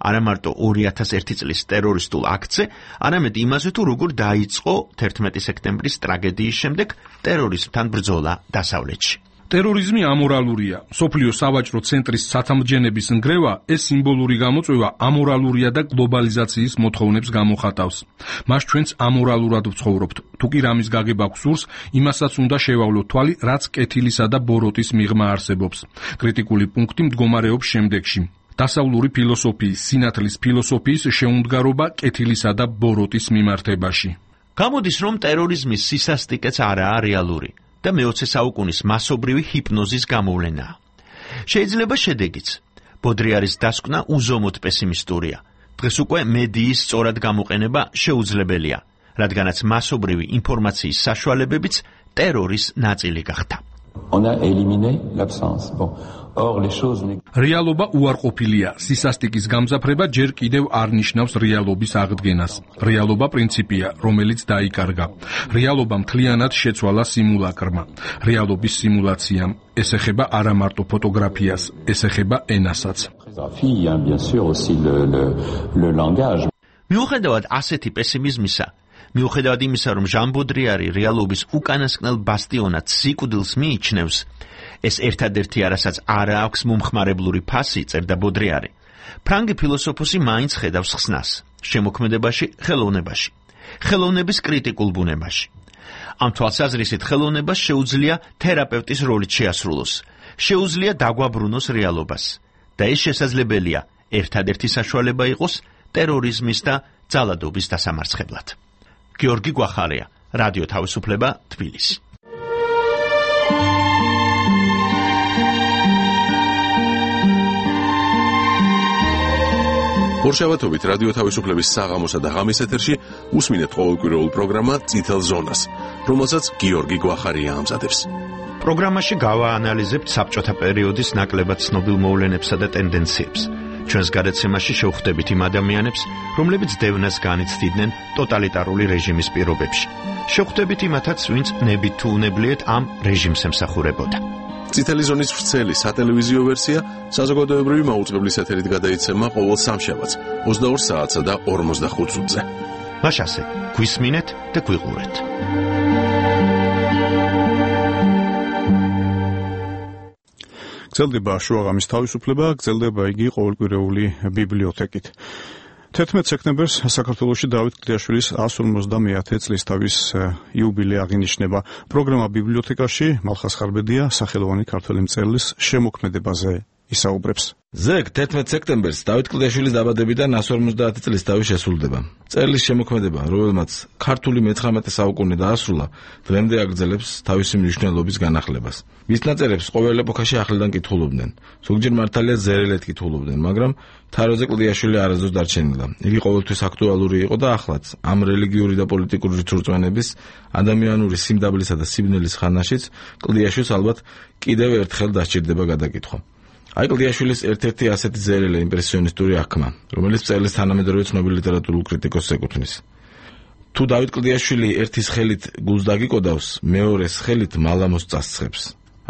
არა მარტო 2001 წლის ტერორისტულ აქტზე, არამედ იმაზე, თუ როგორ დაიწყო 11 სექტემბრის ტრაგედიის შემდეგ ტერორიზმთან ბრძოლა დასავლეთში. ტერორიზმი ამორალურია. სოფლიო სავაჭრო ცენტრის ცათამბჯენების ნგრევა ეს სიმბოლური გამოწვევა ამორალურია და გლობალიზაციის მოთხოვნებს გამოხატავს. მას ჩვენც ამორალურად ვცხოვრობთ. თუ კი რამის გაგება გვსურს, იმასაც უნდა შევავლოთ თვალი, რაც კეთილისა და ბოროტის მიღმა არსებობს. კრიტიკული პუნქტი მდგომარეობს შემდეგში. დასავლური ფილოსოფიის, სინათლის ფილოსოფიის შეუმდგარობა კეთილისა და ბოროტის მიმართებაში. გამოდის, რომ ტერორიზმის სისასტიკეც არაა რეალური და მე-20 საუკუნის მასობრივი ჰიპნოზის გამოვლენაა. შეიძლება შედეგიც. ბოდრიარის დასკვნა უზომოდ პესიმისტურია. დღეს უკვე მედიის სწორად გამოყენება შეუძლებელია, რადგანაც მასობრივი ინფორმაციის საშუალებებიც ტერორის ნაწილი გახდა. On a éliminé l'absence. Bon. Or les choses რეალობა უარყოფილია. სისასტიკის გამძაფრება ჯერ კიდევ არ ნიშნავს რეალობის აღდგენას. რეალობა პრინციპია, რომელიც დაიკარგა. რეალობა მთლიანად შეცვალა სიმულაკრმა. რეალობის სიმულაციამ ეს ეხება არა მარტო ფოტოგრაფიას, ეს ეხება ენასაც. bien sûr aussi le langage. მიუხედავად ასეთი პესიმიზმისა, მიუხედავად იმისა, რომ ჟან ბოდრიარი რეალობის უკანასკნელ ბასტიონად სიკვდილს მიიჩნევს, ეს ერთადერთი არასაც არ აქვს მომხმარებლური ფასი, წერდა ბოდრიარი. ფრანგი ფილოსოფოსი მაინც ხედავს ხსნას შემოქმედებაში, ხელოვნებაში, ხელოვნების კრიტიკულ ბუნებაში. ამ თვალსაზრისით ხელოვნებას შეუძლია თერაპევტის როლით შეასრულოს, შეუძლია დაგვაბრუნოს რეალობას და ეს შესაძლებელია ერთადერთი საშუალება იყოს ტერორიზმის და ძალადობის დასამარცხებლად. გიორგი გვახარია, რადიო თავისუფლება, თბილისი. ორშაბათობით რადიო თავისუფლების საღამოსა და ღამის ეთერში უსმინეთ ყოველკვირეულ პროგრამა წითელ ზონას, რომელსაც გიორგი გვახარია ამზადებს. პროგრამაში გავაანალიზებთ საბჭოთა პერიოდის ნაკლებად ცნობილ მოვლენებსა და ტენდენციებს. ჩვენს გადაცემაში შევხვდებით იმ ადამიანებს, რომლებიც დევნას განიცდიდნენ ტოტალიტარული რეჟიმის პირობებში. შევხვდებით იმათაც, ვინც ნებით თუ უნებლიეთ ამ რეჟიმს ემსახურებოდა. წითელი ზონის ვრცელი სატელევიზიო ვერსია საზოგადოებრივი მაუწყებლის ეთერით გადაიცემა ყოველ სამშაბათს 22 საათსა და 45 წუთზე. მაშასე, გვისმინეთ და გვიყურეთ. გრძელდება შუაღამის თავისუფლება, გრძელდება იგი ყოველკვირეული ბიბლიოთეკით. 11 სექტემბერს საქართველოში დავით კლდიაშვილის 150-ე წლის თავის იუბილე აღინიშნება. პროგრამა ბიბლიოთეკაში მალხას ხარბედია სახელოვანი ქართველი მწერლის შემოქმედებაზე ისაუბრებს. ზეგ 11 სექტემბერს დავით კლდიაშვილის დაბადებიდან 150 წლის თავი შესრულდება. მწერლის შემოქმედება, რომელმაც ქართული მე-19 საუკუნე დაასრულა, დღემდე აგრძელებს თავისი მნიშვნელობის განახლებას. მის ნაწერებს ყოველ ეპოქაში ახლიდან კითხულობდნენ. ზოგჯერ მართალია ზერელეთ კითხულობდნენ, მაგრამ თაროზე კლდიაშვილი არასდროს დარჩენილა. იგი ყოველთვის აქტუალური იყო და ახლაც ამ რელიგიური და პოლიტიკური რწმენების, ადამიანური სიმდაბლისა და სიბნელის ხანაშიც კლდიაშვილს ალბათ კიდევ ერთხელ დასჭირდება გადაკითხვა. აი კლდიაშვილის ერთ-ერთი ასეთი ზერელე იმპრესიონისტური აღქმა, რომელიც მწერლის თანამედროვე ცნობილ ლიტერატურულ კრიტიკოსს ეკუთვნის. თუ დავით კლდიაშვილი ერთის ხელით გულს დაგიკოდავს, მეორეს ხელით მალამოს წასწრებს.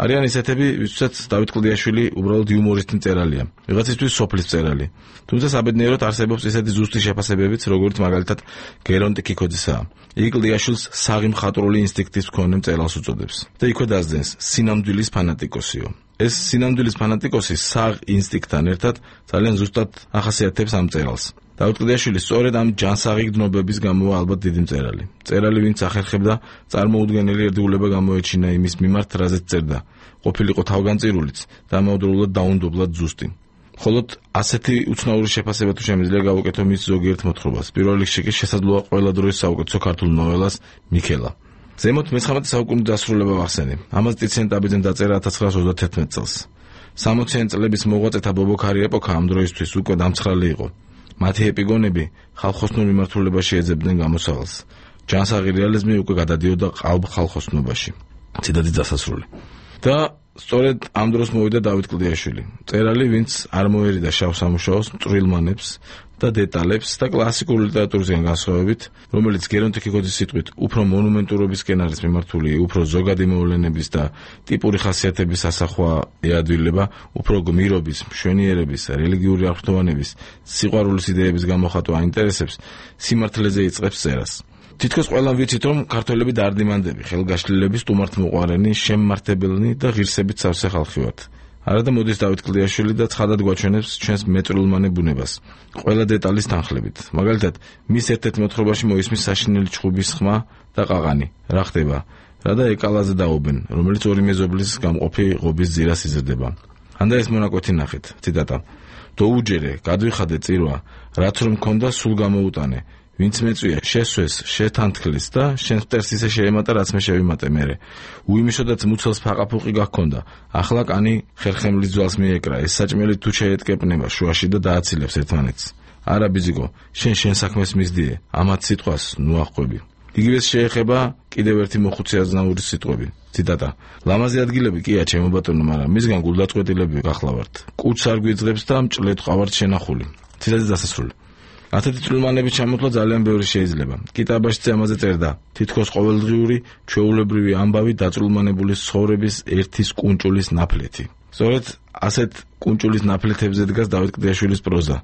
არიან ისეთები, ვისაც დავით კლდიაშვილი უბრალოდ იუმორისტი მწერალია, ვიღაცისთვის სოფლის მწერალი. თუმცა საბედნიეროდ არსებობს ისეთი ზუსტი შეფასებებიც, როგორც მაგალითად გერონტი ქიქოძისაა. იგი კლდიაშვილს საღი მხატვრული ინსტინქტის მქონე მწერალს უწოდებს და იქვე დასძენს სინამდვილის ფანატიკოსიო. ეს სინამდვილის ფანატიკოსი საღ ინსტინქტთან ერთად ძალიან ზუსტად ახასიათებს ამ მწერალს. დავით კლდიაშვილი სწორედ ამ ჯანსაღი გრძნობების გამოა ალბათ დიდი მწერალი. მწერალი, ვინც ახერხებდა წარმოუდგენელი ერთგულება გამოეჩინა იმის მიმართ, რაზეც წერდა. ყოფილიყო თავგანწირულიც და ამავდროულად დაუნდობლად ზუსტი. მხოლოდ ასეთი უცნაური შეფასება თუ შემიძლია გავუკეთო მის ზოგიერთ მოთხრობას. პირველ რიგში კი შესაძლოა ყველა დროის საუკეთესო ქართულ ნოველას მიქელა. ზემოთ მე-19 საუკუნის დასრულება ვახსენე. ამას ტიციან ტაბიძემ დაწერა 1931 წელს. 60-იან წლების მოღვაწეთა ბობოქარი ეპოქა ამ დროისთვის უკვე დამცხრალი იყო. მათი ეპიგონები ხალხოსნურ მიმართულებაში ეძებდნენ გამოსავალს. ჯანსაღი რეალიზმი უკვე გადადიოდა ყალბ ხალხოსნობაში. ციტატის დასასრული. და სწორედ ამ დროს მოვიდა დავით კლდიაშვილი. მწერალი, ვინც არ მოერიდა შავ სამუშაოს, მწვრილმანებს და დეტალებს და კლასიკურ ლიტერატურისგან განსხვავებით, რომელიც გერონტი ქიქოძის სიტყვით უფრო მონუმენტურობისკენ არის მიმართული, უფრო ზოგადი მოვლენების და ტიპური ხასიათების ასახვა ეადვილება, უფრო გმირობის, მშვენიერების, რელიგიური აღფრთოვანების, სიყვარულის იდეების გამოხატვა აინტერესებს, სიმართლეზე იწყებს წერას. თითქოს ყველამ ვიცით, რომ ქართველები დაარდიმანდები, ხელგაშლილები, სტუმართმოყვარენი, შემმართებელნი და ღირსებით სავსე ხალხი ვართ. არადა მოდის დავით კლდიაშვილი და ცხადად გვაჩვენებს ჩვენს მეწვრილმანე ბუნებას. ყველა დეტალის თანხლებით. მაგალითად, მის ერთ-ერთ მოთხრობაში მოისმის საშინელი ჩხუბის ხმა და ყაყანი. რა ხდება? რა და ეკალაზე დაობენ, რომელიც ორი მეზობლის გამყოფი ღობის ძირას იზრდება. ანდა ეს მონაკვეთი ნახეთ. ციტატა. დოუჯერე, გადვიხადე წირვა, რაც რომ მქონდა სულ გამოუტანე. ვინც მეწვია შესვეს, შეთანთქლის და შენს მტერს ისე შეემატა, რაც მე შევიმატე მერე. უიმიშოდაც მუცელს ფაყაფუყი გაქონდა. ახლა კანი ხერხემლის ძვალს მიეკრა. ეს საჭმელი თუ შეეტკეპნება შუაში და დააცილებს ერთმანეთს. არა ბიზიკო, შენ საქმეს მისდიე. ამათ სიტყვას ნუ აღყვები. იგივეს შეეხება კიდევ ერთი მოხუცი აზნაურის სიტყვები. ციტატა: ლამაზი ადგილები კია ჩემო ბატონო, მაგრამ მისგან გულდაწყვეტილები გახლავართ. კუც არ გვიძღებს და მჭლეთ ყავართ შენახული. ციტატის დასასრული. ასეთი წვრილმანების ჩამოთვლა ძალიან ბევრი შეიძლება. კიტაბაშიც ამაზე წერდა: თითქოს ყოველდღიური ჩვეულებრივი ამბავი დაწვრილმანებული ცხოვრების ერთის კუნჭულის ნაფლეთი. სწორედ ასეთ კუნჭულის ნაფლეთებზე დგას დავით კლდიაშვილის პროზა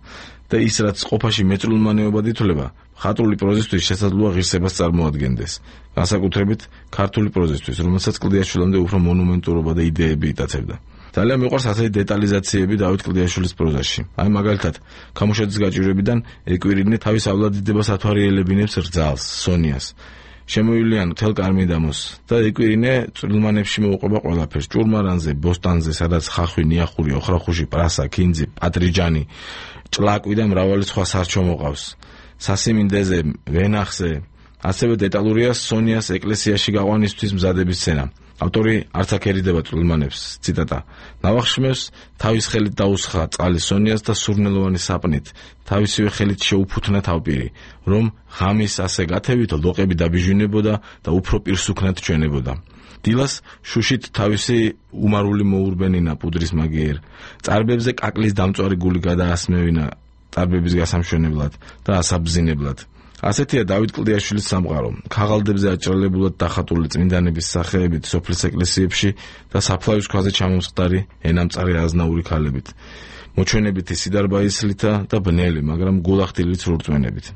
და ის რაც ყოფაში მეწვრილმანეობად ითვლება, ხატრული პროზისთვის შესაძლოა ღირსებას წარმოადგენდეს, განსაკუთრებით ქართული პროზისთვის, რომელსაც კლდიაშვილამდე უფრო მონუმენტურობა და იდეები იტაცებდა. ძალიან მიყვარს ასეთი დეტალიზაციები დავით კლდიაშვილის პროზაში. აი მაგალითად, ქამუშაძის გაჭირვებიდან ეკვირინე თავისავლადიდებას ათვალიერებინებს რძალს, სონიას. შემოივლიან მთელ კარ-მიდამოს და ეკვირინე წვრილმანებში მოუყვება ყველაფერს: ჭურმარანზე, ბოსტანზე, სადაც ხახვი, ნიახური, ოხრახუში, პრასა, ქინძი, პატრიჯანი, ჭლაკვი და მრავალი სხვა სარჩო მოყავს. სასიმინდეზე, ვენახზე, ასევე დეტალურია სონიას ეკლესიაში გაყვანისთვის მზადების სცენა. ავტორი არც აქ ერიდება წვრილმანებს. ციტატა: ნავახშმევს თავის ხელით დაუსხა წყალი სონიას და სურნელოვანი საპნით თავისივე ხელით შეუფუთნა თავპირი, რომ ღამის ასე გათევით ლოყები დაბიჟვინებოდა და უფრო პირსუქნად ჩვენებოდა. დილას შუშით თავისი უმარული მოურბენინა პუდრის მაგიერ, წარბებზე კაკლის დამწვარი გული გადაასმევინა წარბების გასამშვენებლად და ასაბზინებლად. ასეთია დავით კლდიაშვილის სამყარო. ქაღალდებზე აჭრელებულად დახატული წმინდანების სახეებით სოფლის ეკლესიებში და საფლავის ქვაზე ჩამომსხდარი ენამწარი აზნაური ქალებით, მოჩვენებითი სიდარბაისლითა და ბნელი, მაგრამ გულახდილი ცრურწმენებით.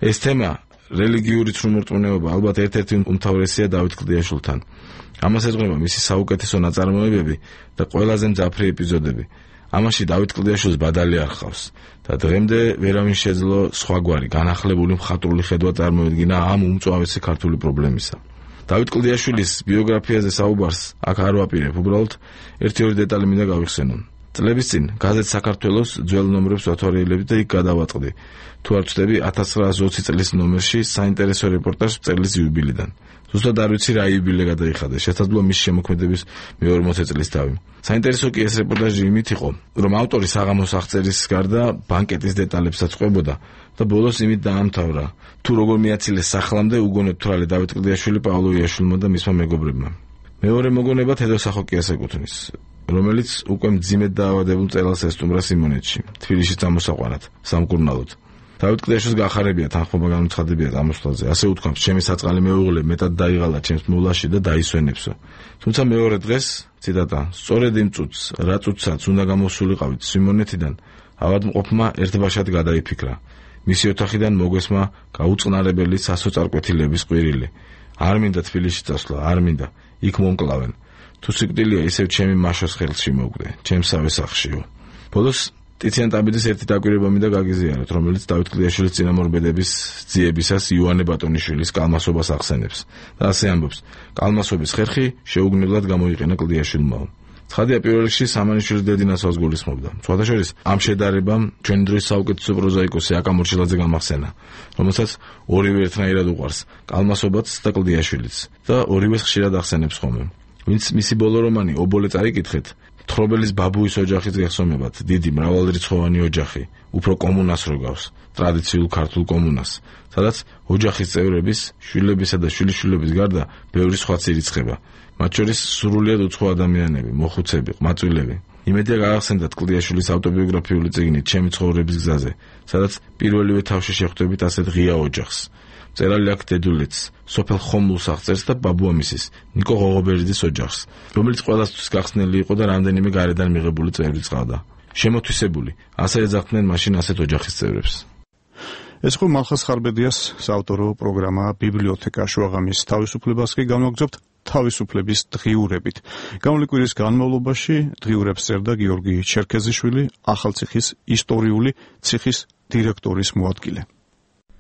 ეს თემა, რელიგიური ცრუმორწმუნეობა, ალბათ ერთ-ერთი უმთავრესია დავით კლდიაშვილთან. ამას ეძღვნება მისი საუკეთესო ნაწარმოებები და ყველაზე მძაფრი ეპიზოდები. ამაში დავით კლდიაშვილს ბადალი არ ხავს და დღემდე ვერავინ შეძლო სხვაგვარი განახლებული მხატვრული ხედვა წარმოედგინა ამ უმწვავესი ქართული პრობლემისა. დავით კლდიაშვილის ბიოგრაფიაზე საუბარს აქ არ ვაპირებ, უბრალოდ ერთი-ორი დეტალი მინდა გავიხსენო. წლების წინ გაზეთ საქართველოს ძველ ნომრებს ვათვალიერებდი და იქ გადავაწყდი. თუ არ ვცდები 1920 წლის ნომერში საინტერესო რეპორტაჟს მწერლის იუბილიდან. ზუსტად არ ვიცი რა იუბილე გადაიხადა, შესაძლოა მის შემოქმედების მე-40 წლის თავი. საინტერესო კი ეს რეპორტაჟი იმით იყო, რომ ავტორი საღამოს აღწერის გარდა ბანკეტის დეტალებსაც ყვებოდა და ბოლოს იმით დაამთავრა, თუ როგორ მიაცილეს სახლამდე უგონოდ თვრალე დავით კლდიაშვილი პავლოიაშვილმა და მისმა მეგობრებმა. მეორე მოგონება თედო სახოკიას ეკუთვნის, რომელიც უკვე მძიმედ დაავადებულ მწერალს ესტუმრა სიმონეთში, თბილისში წამოსაყვანად, სამკურნალოდ. დავით კლდიაშვილს გახარებია თანხმობა განუცხადებია წამოსვლაზე. ასე უთქვამს: ჩემი საწყალი მეუღლე მეტად დაიღალა ჩემს მოვლაში და დაისვენებსო. თუმცა მეორე დღეს, ციტატა: სწორედ იმ წუთს, რა წუთსაც უნდა გამოსულიყავით სიმონეთიდან, ავადმყოფმა ერთბაშად გადაიფიქრა. მისი ოთახიდან მოგვესმა გაუწყნარებელი სასოწარკვეთილების ყვირილი. არ მინდა თბილისში წასვლა, არ მინდა. იქ მომკლავენ. თუ სიკვდილია, ისევ ჩემი მაშოს ხელში მოგვდე, ჩემსავე სახშიო. ბოლოს ტიციან ტაბიძის ერთი დაკვირვება მინდა გაგიზიაროთ, რომელიც დავით კლდიაშვილის წინამორბედების ძიებისას იოანე ბატონიშვილის კალმასობას ახსენებს და ასე ამბობს: კალმასობის ხერხი შეუგნებლად გამოიყენა კლდიაშვილმა. ცხადია, პირველ რიგში სამანიშვილის დედინასვას გულისხმობდა. სხვათა შორის, ამ შედარებამ ჩვენი დროის საუკეთესო პროზაიკოსი აკა მორჩილაძე გამახსენა, რომელსაც ორივე ერთნაირად უყვარს, კალმასობაც და კლდიაშვილიც, და ორივეს ხშირად ახსენებს ხოლმე. ვინც მისი ბოლო რომანი ობოლე წაიკითხეთ, თხრობელის ბაბუის ოჯახის გეხსომებათ, დიდი მრავალრიცხოვანი ოჯახი, უფრო კომუნას როგავს, ტრადიციულ ქართულ კომუნას, სადაც ოჯახის წევრების, შვილებისა და შვილიშვილების გარდა ბევრი სხვაც ირიცხება, მათ შორის სრულიად უცხო ადამიანები, მოხუცები, ყმაწვილები. იმედია გაახსენდათ კლდიაშვილის ავტობიოგრაფიული წიგნი ჩემი ცხოვრების გზაზე, სადაც პირველივე თავში შეხვდებით ასეთ ღია ოჯახს. მწერალი აქ დედულეთს, სოფელ ხომლულს აღწერს და ბაბუამისის, ნიკო ღოღობერიძის ოჯახს, რომელიც ყველასთვის გახსნილი იყო და რამდენიმე გარედან მიღებული წევრიც ყავდა. შემოთვისებული, ასე ეძახდნენ მაშინ ასეთ ოჯახის წევრებს. ეს ხო მალხაზ ხარბედიას საავტორო პროგრამა ბიბლიოთეკა შუაღამის თავისუფლებას კი განვაგრძობთ თავისუფლების დღიურებით. გამოვლი კვირის განმავლობაში დღიურებს წერდა გიორგი ჩერქეზიშვილი, ახალციხის ისტორიული ციხის დირექტორის მოადგილე.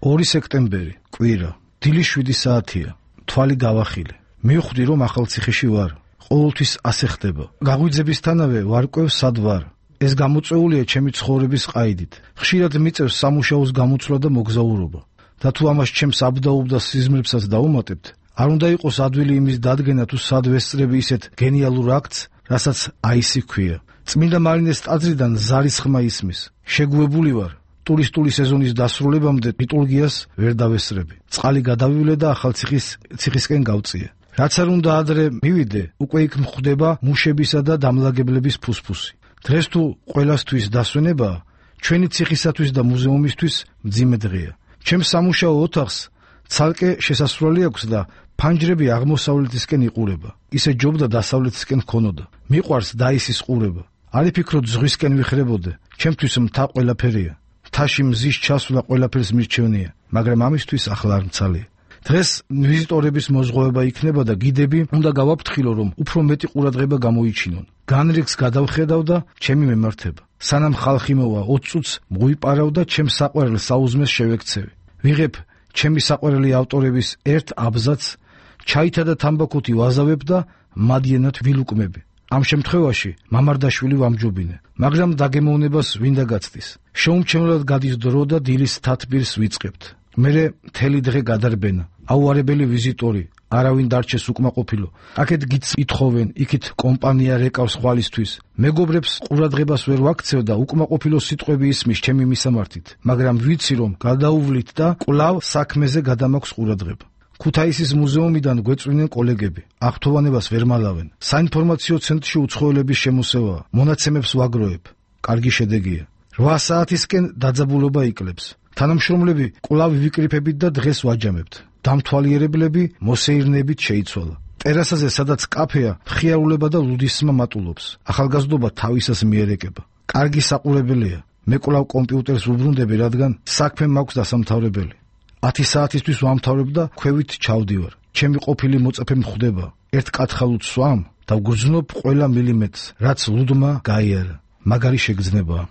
2 სექტემბერი, კვირა, დილის 7 საათია, თვალი გავახილე. მივხვდი, რომ ახალციხეში ვარ. ყოველთვის ასე ხდება. გაღვიძებისთანავე ვარკვევ სად ვარ. ეს გამოწვეულია ჩემი ცხოვრების ყაიდით. ხშირად მიწევს სამუშაოს გამოცვლა და მოგზაურობა. და თუ ამას ჩემს აბდაუბდა სიზმრებსაც დაუმატებთ, არ უნდა იყოს ადვილი იმის დადგენა თუ სად ვესწრები ისეთ გენიალურ აქტს, რასაც აისი ქვია. წმინდა მარინეს ტაძრიდან ზარის ხმა ისმის. შეგუებული ვარ. ტურისტული სეზონის დასრულებამდე ლიტურგიას ვერ დავესწრები. წყალი გადავივლე და ახალციხისკენ გავწიე. რაც არ უნდა ადრე მივიდე, უკვე იქ მხვდება მუშებისა და დამლაგებლების ფუსფუსი. დღეს თუ ყველასთვის დასვენებაა, ჩვენი ციხისათვის და მუზეუმისთვის მძიმე დღეა. ჩემს სამუშაო ოთახს ცალკე შესასვლელი აქვს და ფანჯრები აღმოსავლეთისკენ იყურება. ისე ჯობდა დასავლეთისკენ ქონოდა. მიყვარს დაისის ყურება. არ იფიქროთ ზღვისკენ ვიხრებოდე, ჩემთვის მთა ყველაფერია. მთაში მზის ჩასვლა ყველაფერს მირჩევნია, მაგრამ ამისთვის ახლა არ მცალია. დღეს ვიზიტორების მოზღვევება იქნება და გიდები უნდა გავაფრთხილო, რომ უფრო მეტი ყურადღება გამოიჩინონ. განრიგს გადავხედავ და ჩემი მემართება. სანამ ხალხი მოვა 20 წუთს მღვიპარავ და ჩემს საყვარელ საუზმეს შევექცევი. ვიღებ ჩემი საყვარელი ავტორების ერთ აბზაცს, ჩაითა და თამბაქოთი ვაზავებ და მადიანად ვილუკმები. ამ შემთხვევაში მამარდაშვილი ვამჯობინე, მაგრამ დაგემოვნებას ვინდა გაცდის. შეუმჩევლად გადის დრო და დილის თათბირს ვიწყებთ. მერე მთელი დღე გადარბენა. აუარებელი ვიზიტორი, არავინ დარჩეს უკმაყოფილო. აქეთ გიც ითხოვენ, იქით კომპანია რეკავს ხვალისთვის. მეგობრებს ყურადღებას ვერ ვაქცევ და უკმაყოფილო სიტყვები ისმის ჩემი მისამართით, მაგრამ ვიცი რომ გადაუვლით და კვლავ საქმეზე გადამაქვს ყურადღება. ქუთაისის მუზეუმიდან გვეწვინენ კოლეგები. აღთხოვანებას ვერ მალავენ. საინფორმაციო ცენტრში უცხოელების შემოსევაა. მონაცემებს ვაგროვებ. კარგი შედეგია. 8 საათისკენ დაძაბულობა იკლებს. თანამშრომლები კვლავ ვიკრიფებით და დღეს ვაჯამებთ. დამთვალიერებლები მოსეირნებით შეიცვალა. ტერასაზე, სადაც კაფეა, მხიარულება და ლუდისმა მატულობს. ახალგაზრდობა თავისას მიერეკება. კარგი საყურებელია. მე კვლავ კომპიუტერს ვუბრუნდები, რადგან საქმე მაქვს დასამთავრებელი. 10 საათისთვის ვამთავრებ და ქვევით ჩავდივარ. ჩემი ყოფილი მოწაფე მხვდება. ერთ კათხალუც სვამ და ვგრძნობ ყველა მილიმეტრს, რაც ლუდმა გაიარა. მაგარი შეგრძნებაა.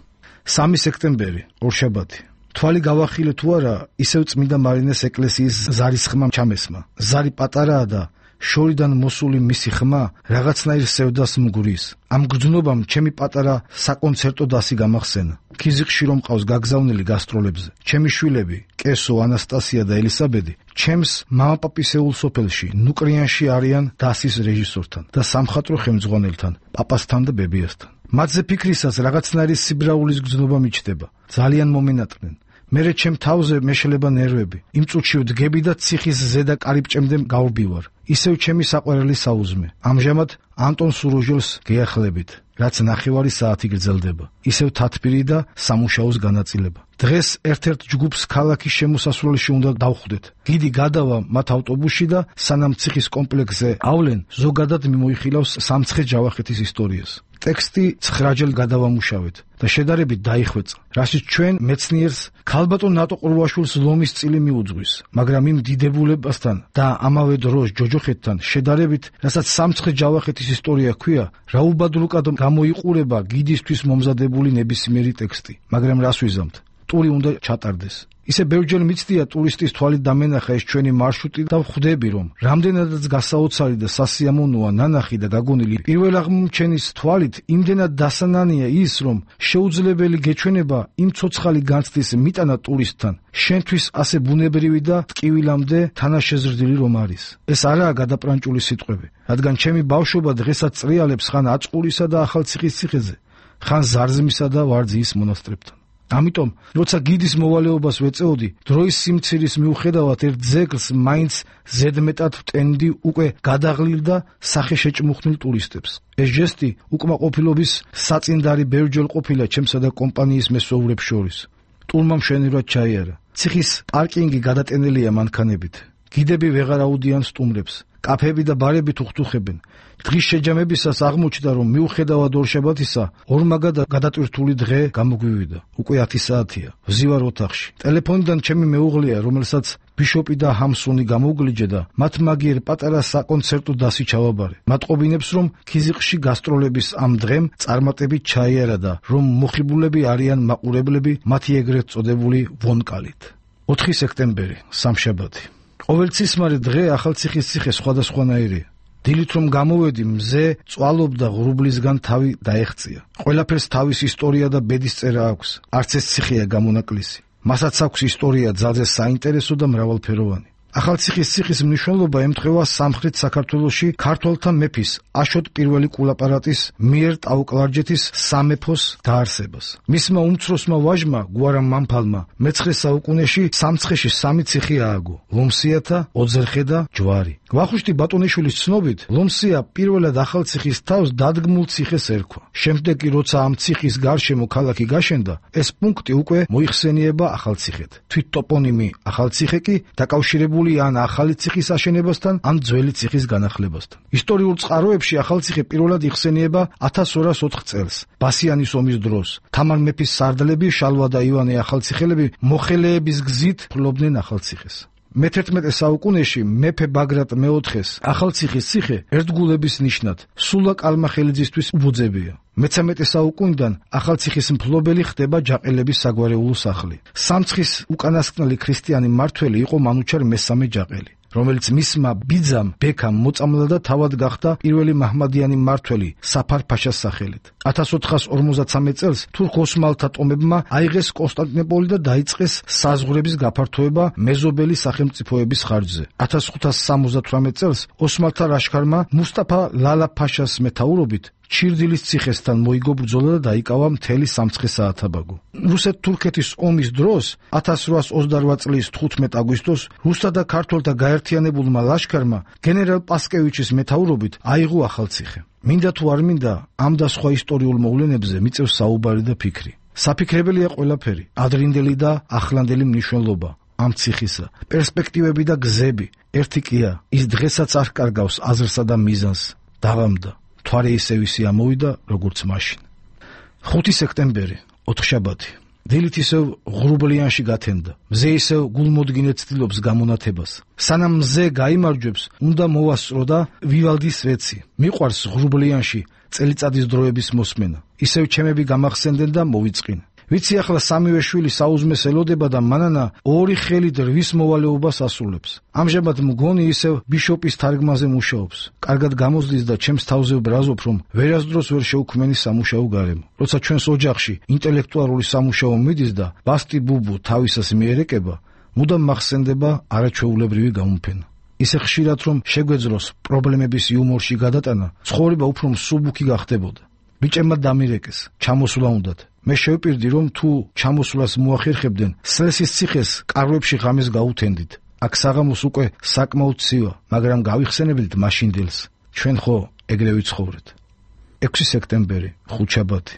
3 სექტემბერი, ორშაბათი. თვალი გავახილე თუ არა, ისევ წმინდა მარინეს ეკლესიის ზარის ხმა ჩამესმა. ზარი პატარაა და შორიდან მოსული მისი ხმა რაღაცნაირ სევდას მგურის. ამ გრძნობამ ჩემი პატარა საკონცერტო დასი გამახსენა. ქიზიყში რომ ყავს გაგზავნილი გასტროლებზე. ჩემი შვილები, კესო, ანასტასია და ელისაბედი, ჩემს მამაპაპისეულ სოფელში, ნუკრიანში არიან დასის რეჟისორთან და სამხატვრო ხელმძღვანელთან, პაპასთან და ბებიასთან. მათზე ფიქრისას რაღაცნაირი სიბრაულის გრძნობა მიჩნდება. ძალიან მომენატრნენ. მერე ჩემ თავზე მეშლება ნერვები. იმ წუთში ვდგები და ციხის ზედა კარიბჭემდე გავბივარ. ისევ ჩემი საყვარელი საუზმე. ამჟამად ანტონ სუროჟელს გეახლებით, რაც 9 საათი გრძელდება. ისევ თათბირი და სამუშაოს განაწილება. დღეს ერთ-ერთ ჯგუფს ქალაქის შემოსასვლელში უნდა დავხვდეთ. გიდი გადავა მათ ავტობუსში და სანამ ციხის კომპლექსზე ავლენ, ზოგადად მიმოიხილავს სამცხე ჯავახეთის ისტორიას. ტექსტი 9 გადავამუშავეთ და შედარებით დაიხვეწა, რასაც ჩვენ მეცნიერს ქალბატონ ნატო ყურვაშვილს ლომის წილი მიუძღვის, მაგრამ იმ დიდებულებასთან და ამავე დროს ჯოჯოხეთთან შედარებით, რასაც სამცხე ჯავახეთის ისტორია ქვია, რაუბადლუკად გამოიყურება გიდისთვის მომზადებული ნებისმიერი ტექსტი, მაგრამ რას ვიზამთ? ტური უნდა ჩატარდეს. ისე ბევრჯერ მიცდია ტურისტის თვალით დამენახა ეს ჩვენი მარშრუტი და ვხვდები, რომ რამდენადაც გასაოცარი და სასიამოვნოა ნანახი და გაგონილი პირველ აღმოჩენის თვალით, იმდენად დასანანია ის, რომ შეუძლებელი გეჩვენება იმ ცოცხალი განცდის მიტანა ტურისტთან, შენთვის ასე ბუნებრივი და ტკივილამდე თანაშეზრდილი რომ არის. ეს არაა გადაპრანჭული სიტყვები, რადგან ჩემი ბავშვობა დღესაც წრიალებს ხან აწყურისა და ახალციხის ციხეზე, ხან ზარზმისა და ვარძიის მონასტრებთან. ამიტომ, როცა გიდის მოვალეობას ვეწეოდი, დროის სიმცირის მიუხედავად ერთ ძეგლს მაინც ზედმეტად ვტენდი უკვე გადაღლილ და სახეშეჭმუხნილ ტურისტებს. ეს ჟესტი უკმაყოფილობის საწინდარი ბევრჯერ ყოფილა ჩემსა და კომპანიის მესვეურებს შორის. ტურმა მშვენივრად ჩაიარა. ციხის პარკინგი გადატენილია მანქანებით. გიდები ვეღარ აუდიან სტუმრებს. კაფეები და ბარები თუხთუხებენ. დღის შეჯამებისას აღმოჩნდა, რომ მიუხედავად ორშაბათისა, ორმაგად გადატვირთული დღე გამოგვივიდა. უკვე 10 საათია. ვზივარ ოთახში. ტელეფონიდან ჩემი მეუღლეა, რომელსაც ბიშოპი და ჰამსონი გამოგლიჯე და მათ მაგიერ პატარა საკონცერტო დასი ჩავაბარე. მატყობინებს, რომ ქიზიყში გასტროლების ამ დღემ წარმატებით ჩაიარა და რომ მოხიბულები არიან მაყურებლები მათი ეგრეთ წოდებული ვონკალით. 4 სექტემბერი, სამშაბათი. ყოველწლისმარი დღე ახალციხის ციხე სხვადასხვანაირია. დილით რომ გამოვედი, მზე წვალობდა ღრუბლისგან თავი დაეღწია. ყველაფერს თავის ისტორია და ბედისწერა აქვს. არც ეს ციხეა გამონაკლისი. მასაც აქვს ისტორია ძალზე საინტერესო და მრავალფეროვანი. ახალციხის ციხის მნიშვნელობა ემთხვევა სამხრეთ საქართველოში ქართველთა მეფის აშოტ პირველი კულაპარატის მიერ ტაო-კლარჯეთის სამეფოს დაარსებას. მისმა უმცროსმა ვაჟმა გვარამ მამფალმა მე-9 საუკუნეში სამცხეში 3 ციხე ააგო: ლომსიათა, ოძერხე და ჯვარი. ვახუშტი ბატონიშვილის ცნობით, ლომსია პირველად ახალციხის თავს დადგმულ ციხეს ერქვა. შემდეგ კი როცა ამ ციხის გარშემო ქალაქი გაშენდა, ეს პუნქტი უკვე მოიხსენიება ახალციხედ. თვით ტოპონიმი ახალციხე კი დაკავშირებული ან ახალი ციხის აშენებასთან, ან ძველი ციხის განახლებასთან. ისტორიულ წყაროებში ახალციხე პირველად იხსენიება 1204 წელს, ბასიანის ომის დროს. თამარ მეფის სარდლები, შალვა და ივანე ახალციხელები მოხელეების გზით ფლობდნენ ახალციხეს. მე-11 საუკუნეში მეფე ბაგრატ მე-4-ს ახალციხის ციხე ერთგულების ნიშნად სულა კალმახელიძისთვის უბოძებია. მე-13 საუკუნიდან ახალციხის მფლობელი ხდება ჯაყელების საგვარეულო სახლი. სამცხის უკანასკნელი ქრისტიანი მმართველი იყო მანუჩარ მესამე ჯაყელი, რომელიც მისმა ბიძამ ბექამ მოწამლა და თავად გახდა პირველი მაჰმადიანი მმართველი საფარ-ფაშას სახელით. 1453 წელს თურქ-ოსმალთა ტომებმა აიღეს კონსტანტინოპოლი და დაიწყეს საზღვრების გაფართოება მეზობელი სახელმწიფოების ხარჯზე. 1578 წელს ოსმალთა ლაშქარმა მუსტაფა ლალა-ფაშას მეთაურობით ჩირდილის ციხესთან მოიგო ბრძოლა და დაიკავა მთელი სამცხე საათაბაგო. რუსეთ-თურქეთის ომის დროს 1828 წლის 15 აგვისტოს რუსთა და ქართველთა გაერთიანებულმა ლაშქარმა გენერალ პასკევიჩის მეთაურობით აიღო ახალციხე. მინდა თუ არ მინდა, ამ და სხვა ისტორიულ მოვლენებზე მიწევს საუბარი და ფიქრი. საფიქრებელია ყველაფერი, ადრინდელი და ახლანდელი მნიშვნელობა ამ ციხისა, პერსპექტივები და გზები. ერთი კია, ის დღესაც არ კარგავს აზრსა და მიზანს. დაღამდა. თვარე ისევ ისე ამოვიდა, როგორც მაშინ. 5 სექტემბერი, ოთხშაბათი. დილით ისევ ღრუბლიანში გათენდა. მზე ისევ გულმოდგინედ ცდილობს გამონათებას. სანამ მზე გაიმარჯვებს, უნდა მოვასწრო და ვივალდის ვეცი. მიყვარს ღრუბლიანში წელიწადის დროების მოსმენა. ისევ ჩემები გამახსენდნენ და მოვიწყინ. ვიცი ახლა სამივე შვილი საუზმეს ელოდება და მანანა ორი ხელით რვის მოვალეობას ასრულებს. ამჟამად მგონი ისევ ბიშოპის თარგმანზე მუშაობს. კარგად გამოსდის და ჩემს თავზე ბრაზობ, რომ ვერასდროს ვერ შეუქმენი სამუშაო გარემო. როცა ჩვენს ოჯახში ინტელექტუალური სამუშაო მიდის და ბასტი ბუბუ თავისას მიერეკება, მუდამ მახსენდება არაჩვეულებრივი გამოფენა. ისე ხშირად რომ შეგვეძროს პრობლემების იუმორში გადატანა, ცხოვრება უფრო მსუბუქი გახდებოდა. ბიჭებმა დამირეკეს, ჩამოსვლა უნდათ. მე შევპირდი, რომ თუ ჩამოსვლას მოახერხებდნენ, სლესის ციხეს კარვებში ღამეს გაუთენდით. აქ საღამოს უკვე საკმაოდ ცივა, მაგრამ გავიხსენებდით მაშინდელს. ჩვენ ხო ეგრე ვიცხოვრეთ. 6 სექტემბერი, ხუთშაბათი.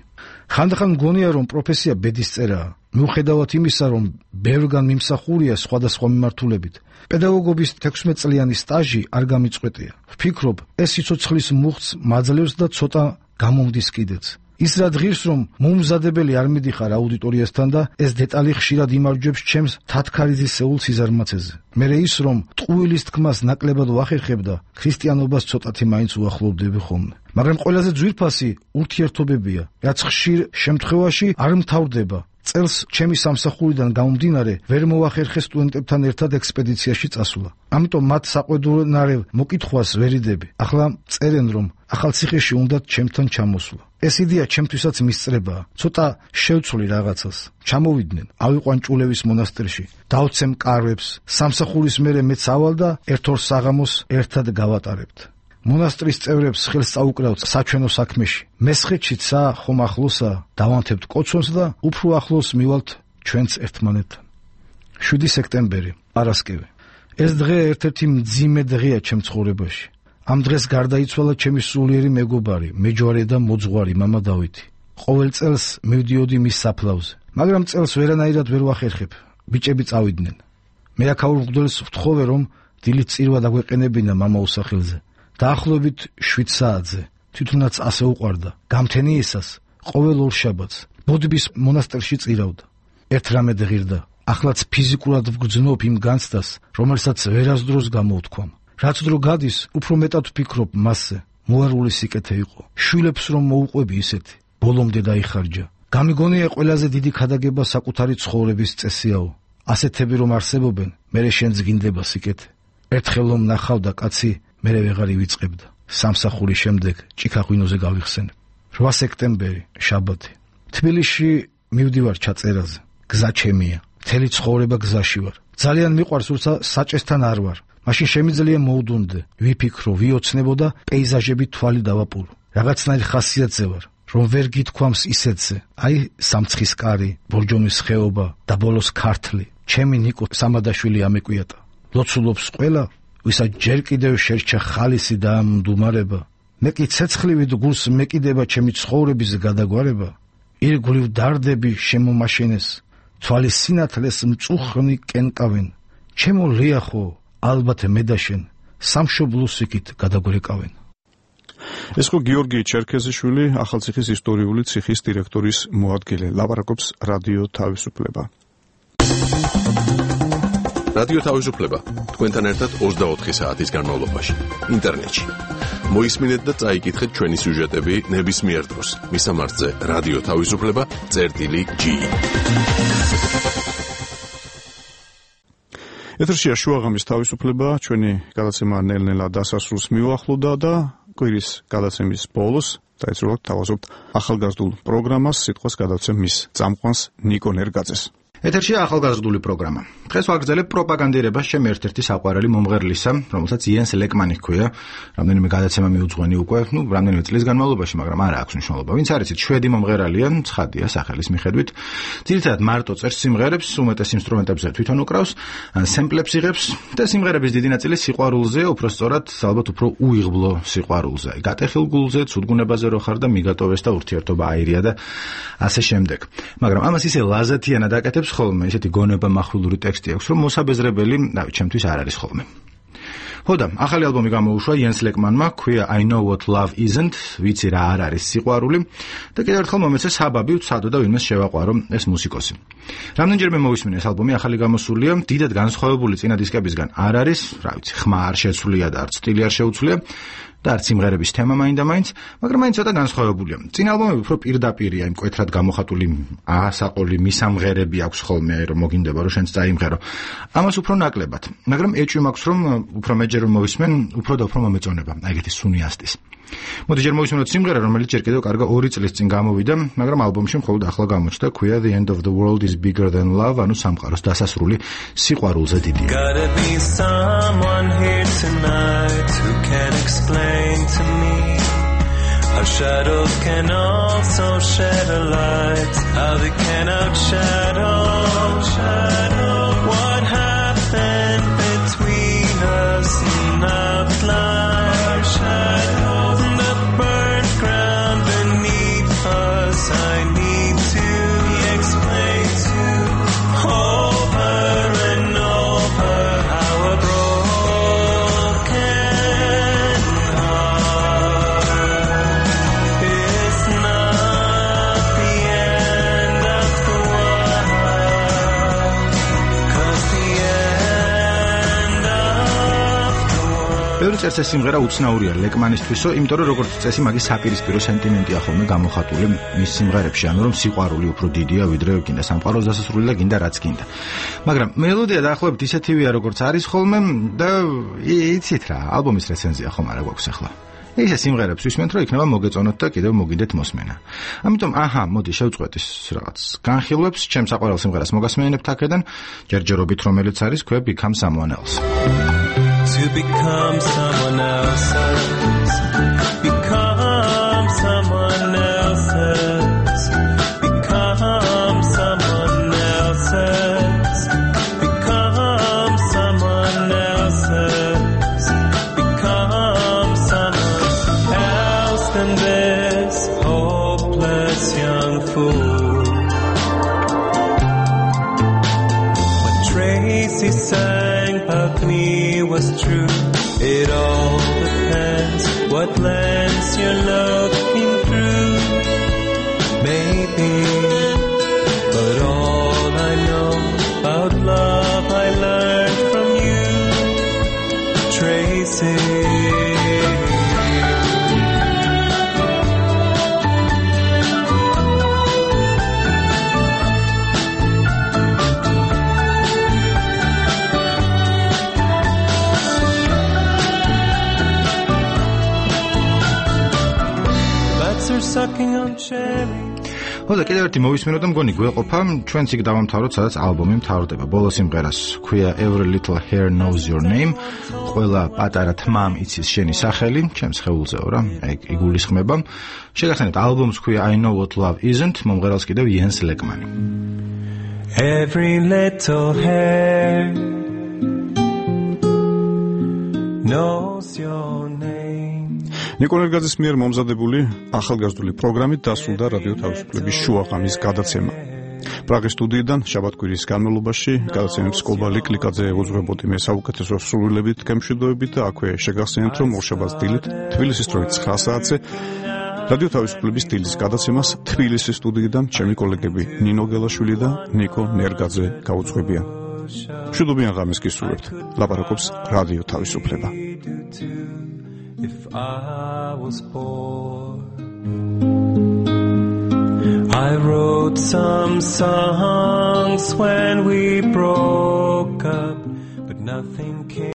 ხანდახან მგონია, რომ პროფესია ბედისწერაა. მიუხედავად იმისა, რომ ბევრგან მიმსახურია სხვადასხვა მიმართულებით, პედაგოგობის 16 წლიანი სტაჟი არ გამიწყვეტია. ვფიქრობ, ეს სიცოცხლის მუხტს მაძლევს და ცოტა გამომდის კიდეც. ის რა ღირს, რომ მომზადებელი არ მიდიხარ აუდიტორიასთან და ეს დეტალი ხშირად იმარჯვებს ჩემს თათქარიძისეულ სიზარმაცეზე. მერე ის, რომ ტყუილის თქმას ნაკლებად ვახერხებ და ქრისტიანობას ცოტათი მაინც უახლოვდები ხოლმე. მაგრამ ყველაზე ძვირფასი ურთიერთობებია, რაც ხშირ შემთხვევაში არ მთავრდება. წელს ჩემი სამსახურიდან გამომდინარე ვერ მოვახერხე სტუდენტებთან ერთად ექსპედიციაში წასვლა. ამიტომ მათ საყვედურნარევ მოკითხვას ვერიდები. ახლა წერენ, რომ ახალციხეში უნდათ ჩემთან ჩამოსვლა. ეს იდეა ჩემთვისაც მისწრებაა. ცოტა შევცვლი რაღაცას. ჩამოვიდნენ, ავიყვან ჭულევის მონასტერში, დავცემ კარვებს, სამსახურის მერე მეც ავალ და ერთ ორ საღამოს ერთად გავატარებთ. მონასტრის წევრებს ხელს წაუკრავთ საჩვენო საქმეში. მესხეთშიცა ხომ ახლოსა, დავანთებთ კოცონს და უფრო ახლოს მივალთ ჩვენც ერთმანეთთან. 7 სექტემბერი, პარასკევი. ეს დღე ერთ-ერთი მძიმე დღეა ჩემ ცხოვრებაში. ამ დღეს გარდაიცვალა ჩემი სულიერი მეგობარი, მეჯვარე და მოძღვარი მამა დავითი. ყოველ წელს მივდიოდი მის საფლავზე, მაგრამ წელს ვერანაირად ვერ ვახერხებ. ბიჭები წავიდნენ. მე აქაურ მღვდელს ვთხოვე, რომ დილით წირვა დაგვეყენებინა მამა უსახელზე. დაახლოებით 7 საათზე. თვითონაც ასე უყვარდა. გამთენიისას ყოველ ორ შაბათს ბოდბის მონასტერში წირავდა. ერთ რამე ღირდა. ახლაც ფიზიკურად ვგრძნობ იმ განცდას, რომელსაც ვერასდროს გამოვთქვამ. რაც დრო გადის, უფრო მეტად ვფიქრობ მასზე. მოარული სიკეთე იყო. შვილებს რომ მოუყვები ისეთი, ბოლომდე დაიხარჯა. გამიგონია ყველაზე დიდი ქადაგება საკუთარი ცხოვრების წესიაო. ასეთები რომ არსებობენ, მერე შენც გინდება სიკეთე. ერთხელ რომ ნახავდა კაცი, მერე ვეღარ ივიწყებდა. სამსახურის შემდეგ ჭიქაღვინოზე გავიხსენებ. 8 სექტემბერი, შაბათი. თბილისში მივდივარ ჩაწერაზე. გზა ჩემია. მთელი ცხოვრება გზაში ვარ. ძალიან მიყვარს, როცა საჭესთან არ ვარ. მაშინ შემიძლია მოვდუნდე, ვიფიქრო, ვიოცნებო და პეიზაჟები თვალი დავაპურო. რაღაცნაირი ხასიათზე ვარ, რომ ვერ გითქვამს ისეთზე. აი, სამცხის კარი, ბორჯომის ხეობა და ბოლოს ქართლი. ჩემი ნიკო სამადაშვილი ამეკვიატა. ლოცულობს ყველა, ვისაც ჯერ კიდევ შერჩა ხალისი და მდუმარება. მე კი ცეცხლივით გულს მეკიდება ჩემი ცხოვრების გადაგვარება. ირგვლივ დარდები შემომაშენეს, თვალის სინათლეს მწუხნი კენკავენ. ჩემო ლიახო, ალბათ მე და შენ სამშობლოს იქით გადაგვერეკავენ. ეს ხო გიორგი ჩერქეზიშვილი, ახალციხის ისტორიული ციხის დირექტორის მოადგილე, ლაპარაკობს რადიო თავისუფლება. რადიო თავისუფლება თქვენთან ერთად 24 საათის განმავლობაში ინტერნეტში. მოისმინეთ და წაიკითხეთ ჩვენი სიუჟეტები ნებისმიერ დროს. მისამართზე რადიო თავისუფლება.gi. ეთერშია შუაღამის თავისუფლება, ჩვენი გადაცემა ნელ-ნელა დასასრულს მიუახლოვდა და კვირის გადაცემის ბოლოს დაეცრუათ თავაზობთ ახალგაზრდულ პროგრამას, სიტყვას გადავცემ მის წამყვანს ნიკო ნერგაძეს. ეთერშია ახალგაზრდული პროგრამა. დღეს ვაგრძელებ პროპაგანდირებას ჩემი ერთ-ერთი საყვარელი მომღერლისა, რომელსაც იენს ლეკმანი ჰქვია. რამდენიმე გადაცემა მიუძღვენი უკვე, რამდენიმე წლის განმავლობაში, მაგრამ არა აქვს მნიშვნელობა. ვინც არიცით, შვედი მომღერალია, ცხადია სახელის მიხედვით. ძირითადად მარტო წერს სიმღერებს, უმეტეს ინსტრუმენტებზე თვითონ უკრავს, სემპლებს იღებს და სიმღერების დიდი ნაწილი სიყვარულზე, უფრო სწორად, ალბათ უფრო უიღბლო სიყვარულზე. გატეხილ გულზე, ცუდგუნებაზე რო ხარ და მიგატოვეს და ურთიერთობა აირია და ასე შემდეგ. მაგრამ ამას ისე ლაზათიანად აკეთებს ხოლმე, ისეთი გონება მახვილური ტექსტი აქვს, რომ მოსაბეზრებელი, ჩემთვის არ არის ხოლმე. ხოდა, ახალი ალბომი გამოუშვა იენს ლეკმანმა, ქვია I know what love isn't, ვიცი რა არ არის სიყვარული და კიდევ ერთხელ მომეცე საბაბი ვცადო და ვინმეს შევაყვარო ეს მუსიკოსი. რამდენჯერმე მოვისმინე ეს ალბომი, ახალი გამოსულია, დიდად განსხვავებული წინა დისკებისგან არ არის, რა ვიცი, ხმა არ შეცვლია და არც სტილი არ შეუცვლია. და არც სიმღერების თემა მაინდა-მაინც, მაგრამ მაინც ცოტა განსხვავებულია. წინა ალბომები უფრო პირდაპირია, იმ მკვეთრად გამოხატული ასაყოლი მისამღერები აქვს ხოლმე, რომ მოგინდება რომ შენც წაიმღერო. ამას უფრო ნაკლებად, მაგრამ ეჭვი მაქვს რომ უფრო მეჯერ რომ მოვისმენ, უფრო და უფრო მომეწონება, აი ეგეთი სუნი ასტის. მოდი ჯერ მოვისმენოთ სიმღერა, რომელიც ჯერ კიდევ კარგა 2 წლის წინ გამოვიდა, მაგრამ ალბომში მხოლოდ ახლა გამოჩნდა, ქვია The End of the World is Bigger Than Love, ანუ სამყაროს დასასრული სიყვარულზე დიდია. Gotta be someone here tonight who can explain to me how shadows can also shed a light, how they can outshadow what happened between us in that light. The burnt ground beneath us, I need to explain to over and over how a broken heart is not the end of the world, 'cause the end of the world. ბევრი წერს ეს სიმღერა უცნაურია ლეკმანისთვისო, იმიტომ რომ როგორც წესი მაგის საპირისპირო სენტიმენტია ხოლმე გამოხატული მის სიმღერებში, ანუ რომ სიყვარული უფრო დიდია ვიდრე გინდა სამყაროს დასასრული და გინდა რაც გინდა. მაგრამ მელოდია დაახლოებით ისეთივეა როგორც არის ხოლმე და იცით რა, ალბომის რეცენზია ხომ არა გვაქვს ახლა. ისე სიმღერებს ვისმენთ, რომ იქნება მოგეწონოთ და კიდევ მოგიდეთ მოსმენა. ამიტომ მოდი შევწყვეტ ის რაღაც განხილვებს, ჩემს საყვარელ სიმღერას მოგასმენებთ აქედან, ჯერჯერობით რომელიც არის ქვია Become Someone Else. To become someone else's, become someone else's, become someone else's, become someone else's, become someone else than this hopeless young fool. What Tracy sang about me was true. It all depends what lens you're looking through. Maybe, but all I know about love I learned from you, Tracy. მოდა კიდევ ერთი მოვისმინო და მგონი გვეყოფა, ჩვენც იქ დავამთავროთ, სადაც ალბომი მთავრდება. ბოლო სიმღერას ქვია Every Little Hair Knows Your Name. ყველა პატარა თმამ იცის შენი სახელი, ჩემს ხეულზეო რა, იგულისხმება. შეგახსენებთ, ალბომს ქვია I Know What Love Isn't, მომღერალს კიდევ იენს ლეკმანი. Every little hair knows your name. ნიკოლ ერგაძის მიერ მომზადებული ახალგაზრდული პროგრამით დასრულდა რადიო თავისუფლების შუაღამის გადაცემა. პრაღის სტუდიიდან შაბათ-კვირის განმავლობაში გადაცემებს კობა ლიკლიკაძე უძღვებოდი მე საუკეთესო სრულებით გემშვიდობებით და აქვე შეგახსენებთ, რომ ორშაბათს დილით თბილისის დროით 9 საათზე რადიო თავისუფლების დილის გადაცემას თბილისის სტუდიიდან ჩემი კოლეგები ნინო გელაშვილი და ნიკო ნერგაძე გაუძღვებიან. მშვიდობიან ღამეს გისურვებთ. ლაპარაკობს რადიო თავისუფლება. If I was bored, I wrote some songs when we broke up, but nothing came.